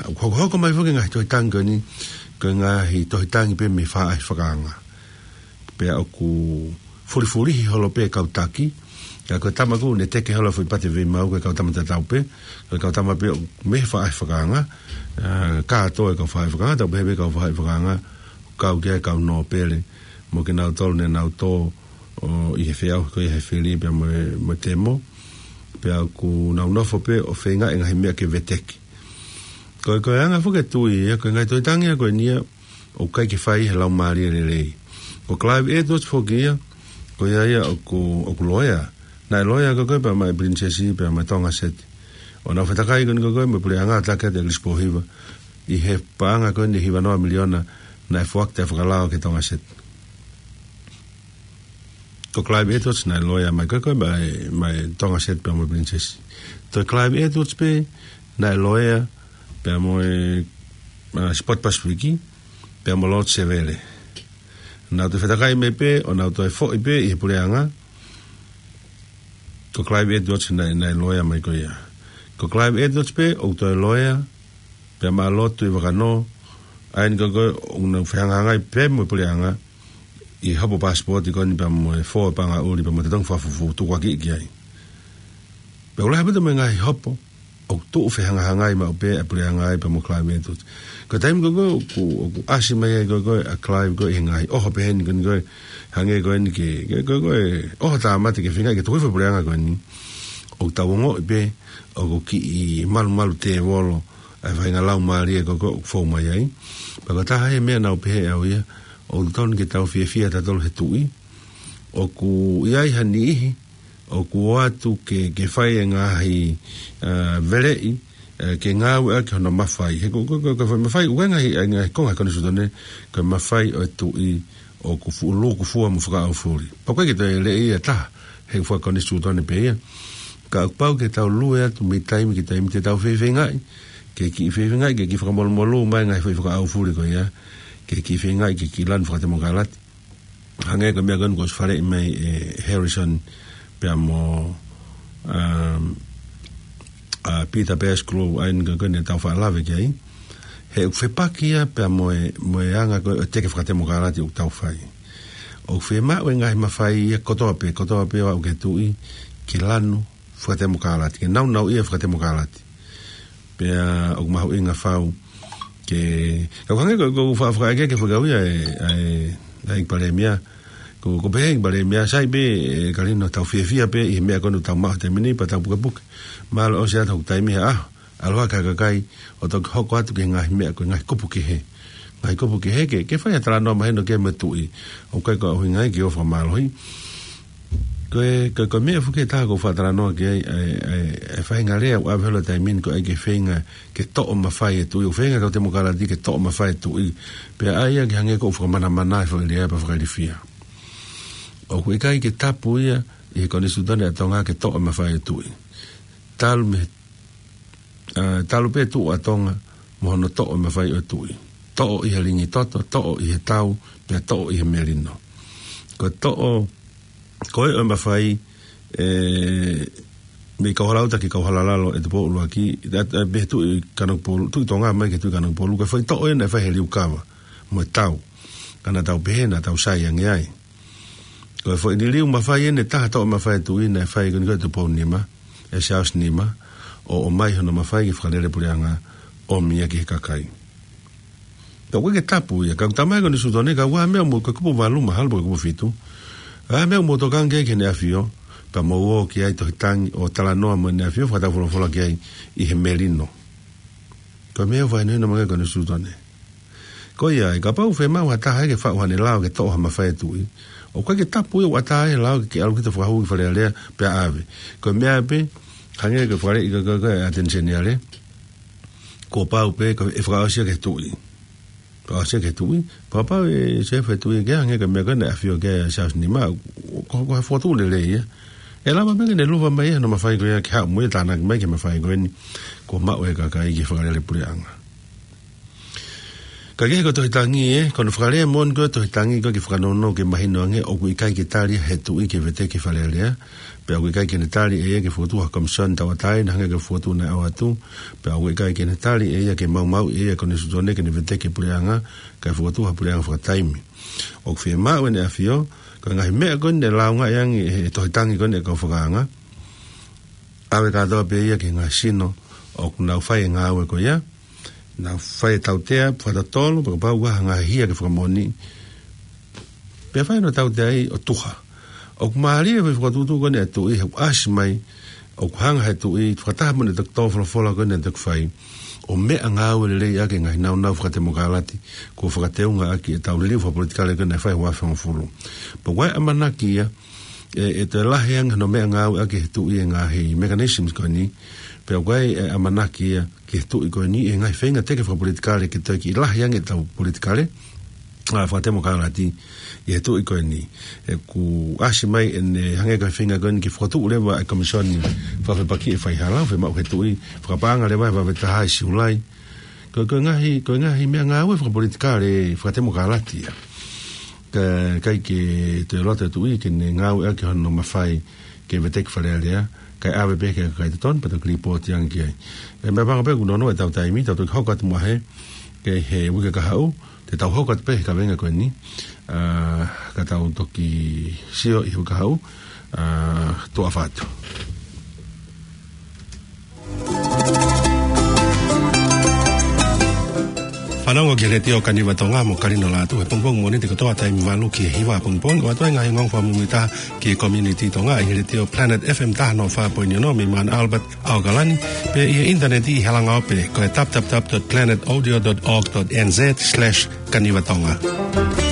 ʻoku hokohoko mai foki e ngaahi tohi tangi ko eni, ko e ngaahi tohi tangi pē mei he Faʻahi Fakaanga. Pea ʻoku fulifulihi holo pē e kau taki, ka ko e tama ʻoku ne teke holo e foʻi pate veimau, ko e kau tama tatau pē, ko e kau tama pē ʻo mei he Faʻahi Fakaanga, ʻa, kātoa e kau Faʻahi Fakaanga, tau pehē pē kau Faʻahi Fakaanga, kau ki ai e kau nōpele, mo kinautolu ne nau tō ʻi he feʻauhi ko ia he fili pea mo e, mo e temo, pea ʻoku nau nofo pē ʻo feinga e ngaahi meʻa ke veteki. Ko e, ko e anga foki e Tuʻi ia, ko e ngaahi tohi tangi ia ko eni ia, ʻoku ʻikai ke fai he laumālie lelei. Ko Clive Edwards foki ia, ko ia ia ʻoku, ʻoku loea. Naʻe loea ko ē pea maʻa e Pilinisesi pea maʻa e Tongaset. ʻO nau fetakai ko eni ko ē mo e puleʻanga, taki atu ʻe ʻEkilisi Pōhiva ʻi he paʻanga ko eni ʻe hiva noa miliona naʻe foaki ʻo fakalao ki he Tongaset. Ko Clive Edwards naʻe loea mai ko ē maʻa e, maʻa e Tongaset pea mo e Pilinisesi. Ko Clive Edwards pē naʻe loea pea mo e, ʻa, Sport Pacific, pea mo Lord Sevele. Nau toe fetakai mai pē, ʻo nau toe foʻi pē ʻi he puleʻanga. Ko Clive Edwards naʻe, naʻe loea mai ko ia. Ko Clive Edwards pē ʻoku toe loea pea maʻa Lord Tuʻivakanō, ʻa eni ko ē ʻoku nau fehangahangai pē mo e puleʻanga ʻi he hopo paasipooti ko eni pea mo e fō e paʻanga ʻuli pea mo e totongi fakafufū tukuakiʻi ki ai. Pea ʻoku lahi ʻaupito mo e ngaahi hopo ʻoku tuʻu fehangahangai maʻu pē ʻa e puleʻanga ia pea mo Clive Edwards. Ko e taimi ko ē ʻoku, ʻoku ʻasi mai ai ko ē ʻa Clive ko ē ʻi he ngaahi ʻoho pehē ni ko eni ko ē, hangē ko eni ke, ke, ko ē, ko ē ʻoho tāmate ke feinga ke tuku hifo e puleʻanga ko eni, ʻoku tau ongoʻi pē ʻoku kiʻi malumalu tēvolo ʻa e faʻahinga laumālie ko ē ʻoku fou mai ai. Pea ko e taha e meʻa naʻá ku pehē ʻe au ia, ʻoku totonu ke tau fiefia tautolu he Tuʻi, ʻoku ʻi ai ha niʻihi ʻoku ʻoatu ke, ke fai e ngaahi, ʻa, veleʻi, ʻa, ke ngāueʻaki hono mafai. He ko, ko, ko, ko e foʻi mafai, ʻoku ʻi ai e ngaahi, ʻi ai e ngaahi konga konisitūtone, ko e mafai ʻo e Tuʻi ʻoku fuʻu lūkufua mo fakaʻaufuli. Pea ʻoku ʻikai ke toe leʻi ia ʻe taha, he ʻoku fakakonisitūtone pē ia. Ka ʻoku pau ke tau lue atu mei taimi ki taimi, te tau feifeingaʻi ke kiʻi feifeingaʻi ke kiʻi fakamolūmolū mai e ngaahi foʻi fakaʻaufuli ko ia, ke kiʻi feifeingaʻi ke kiʻi lanu fakatemokalati. Hangē ko e meʻa ko eni kuo ʻosi faleʻi mai ʻe Harrison pea mo, um, ʻa Peter Pettigrew, ʻa eni ko ē naʻa tau faʻa lave ki ai. He ʻoku fepaki ia pea mo e, mo e anga ko ē ʻo e teke fakatemokalati ʻoku tau fai. ʻOku fiemaʻu e ngaahi mafai ia kotoa pē, kotoa pē ʻo aʻu ki he Tuʻi ke lanu fakatemokalati, ke naunauʻia fakatemokalati. Pea ʻoku mahuʻinga fau ke, ka ʻoku hangē ko, ko e faʻa fakaʻeke ke fakauia e, ʻa e, ʻa e ʻEiki Palēmia, Ko, ko pehē ki Palēmia, sai pē, ē, Kalino, tau fiefia pē ʻi he meʻa ko eni ʻoku tau maʻu he taimi ni pea tau pukepuke. Mālō ʻosi atu hoku taimi he ʻaho, ʻalu hake ha kakai ʻo toki hoko atu ki he ngaahi meʻa ko e ngaahi kupu kehe. Ngaahi kupu kehe ke, ke fai ha talanoa mahino ki ai mo e tuʻi. ʻOku ʻikai ko e ʻuhinga ia ke ʻofa mālohi. Ko e, ko e, ko e meʻa foki ʻe taha ʻoku ou fakatalanoa ki ai, ʻa e, ʻa e, ʻa e faʻahinga lea ʻoku ʻave holo he taimi ni ko e ʻai ke feinga ke toʻo mafai e tuʻi, ʻoku feinga e kau temokalati ke toʻo mafai e tuʻi. Pea ʻai ia ke hangē ʻoku fakamanamana e foʻi lea pea fakailifia. ʻOku ʻikai ke tapu ia ʻi he konisitūtone ʻa Tonga ke toʻo mafai e tuʻi. Talu mei, ʻa, talu pē tuʻu ʻa Tonga mo hono toʻo mafai ʻo e tuʻi. Toʻo ʻi he lingi toto, toʻo ʻi he tau, pea toʻo ʻi he melino. Ko e toʻo, ko e ʻo e mafai, ē, mei Kauhalauta ki Kauhalalalo ʻi Tupou ʻUluaki, ʻa, ʻa, mei he Tuʻi Kanokupolu, Tuʻi Tonga mai ki he Tuʻi Kanokupolu, ko e foʻi toʻo ʻena ʻe fai he liukava mo e tau. Ka naʻa tau pehē naʻa tau sai ange ai. Ko e foʻi liliu mafai ʻena ʻe taha toʻo mafai e tuʻi naʻe fai ko eni ko ē ʻi Tupou Nima, ʻe Charles Nima, ʻo, ʻomai hono mafai ke fakalele puleʻanga, ʻomi ia ki he kakai. Ka ʻoku ʻikai ke tapu ia, ka ʻoku talamai ʻe he konisitūtone, ka ʻoku ʻi ai ha meʻa mou, ko e kupu valu mahalo pe ko e kupu fitu. ʻA e meʻa mou tokanga ki ai ki heʻene ʻafio, pea mou ō ki ai Tohi Tangi ʻo talanoa mo ʻene ʻafio, fakataufolofola ki ai ʻi he melino. Ko e meʻa ʻoku fakahinohino mai ki ai e konisitūtone. Ko ia ai, kapau ʻe fiemaʻu ha taha ia ke faʻu haʻane lao ke toʻo ha mafai e tuʻi, ʻoku ʻikai ke tapu ia, ʻoku ʻatā e lao ke, ke ʻalu kita ʻo fakahū ki Fale Alea pea ʻave. Ko e meʻa pē, hangē ko e fale ʻi ka, ka, ka, ʻAteni Seniale, kuo pau pē ke fakaʻosi ia ki he tuʻi. Fakaʻosi ia ki he tuʻi, pea kapau ʻe sio e tuʻi ki ai, hangē ko e meʻa ko ē naʻe ʻafio ki ai ʻa Charles Nima, ko, ko e fokotuʻu lelei ia. ʻE lava pē ke ne luva mai ia hono mafai ko ia ke haʻu mo ia ʻo tānaki mai ki he mafai ko eni kuo maʻu ʻe he kakai ke fakalele puleʻanga. Ka kehe ko e Tohi Tangi ē, ko hono fakalea moʻoni ko ē e Tohi Tangi ko ē ke fakanounou ke mahino ange ʻoku ʻikai ke tali ia ʻe he tuʻi ke veteki Fale Alea, pea ʻoku ʻikai ke ne tali ʻe ia ke fokotuʻu ha komisoni tauʻatāina hangē ko e fokotuʻu naʻe ʻoatu, pea ʻoku ʻikai ke ne tali ʻe ia ke maumauʻi ʻe ia e konisitūtone ke ne veteki e puleʻanga, kae fokotuʻu ha puleʻanga fakataimi. ʻOku fiemaʻu ʻe heʻene ʻafio, ko e ngaahi meʻa ko eni naʻe lāungaʻi ange ʻe he Tohi Tangi ko eni ʻa e kau fakaanga, ʻave kātoa pē ia ki he ngaahi sino ʻoku nau fai e ngāue ko ia, nau fai e tautea, fakatotolo, pea kapau ʻoku ʻi ai ha ngaahi hia ke fakamoʻoniʻi, pea fai hono tauteaʻi ʻo tuha. ʻOku mālie e fokotuʻutuʻu ko eni ʻa e tuʻi he ʻoku ʻasi mai, ʻoku hanga ʻe he tuʻi, fakataha mo ʻene toki tō folofola ko eni naʻe toki fai, ʻo meʻangāue lelei ʻaki e ngaahi nāunau fakatemokalati kuo fakateunga ʻaki ʻetau liliu fakapolitikale ko eni naʻe fai he uaafe hongofulu. Pea ʻoku ʻi ai e ʻamanaki ia, ʻe, ʻe toe lahi ange hono meʻangāue ʻaki ʻe he tuʻi e ngaahi mechanisms ko eni, pea ʻoku ʻi ai e ʻamanaki ia ki he tuʻi ko eni ʻi he ngaahi feinga teke fakapolitikale ke toe kiʻi lahi ange ʻetau politikale, ʻa, fakatemokalati ʻi he tuʻi ko eni. ʻOku ʻasi mai ʻene hangē ko e feinga ko eni ke fokotuʻu leva e komisoni fakafepakiʻi e faihala, fiemaʻu ʻe he tuʻi, fakapaʻanga leva he uaafe taha ʻi Siulai. Ko, ko e ngaahi, ko e ngaahi meʻangāue fakapolitikale fakatemokalati ia. Ka, ʻikai ke toe loto e tuʻi ke ne ngāueʻaki hono mafai ke veteki Fale Alea, kae ʻave pē ki he kakai totonu, pea toki lipooti ange ki ai. ʻE, meʻapango pē kuo nonoʻo ʻetau taimi, tau toki hoko atu muʻa he, ki he uike kahaʻu, te tau hoko atu pē he kaveinga ko eni, ʻa, ka tau toki sio ʻi he uike kahaʻu, ʻa, tuʻa ʻofa atu. Fanongo ki he Letiō Kaniva Tonga mo Kalino Lātū he pongipongi Mōnite kotoa taimi valu ki he hiva pongipongi, ʻo ʻoatu ai e ngaahi ongoongo fakamuimuitaha ki he community Tonga ʻi he Letiō Planet F M taha noa fā poini ono mei Mount Albert, ʻAokalani, pea ʻi he ʻinitaneti ʻi he langaope ko e w w w dot planet audio dot org dot n z slash kaniva tonga.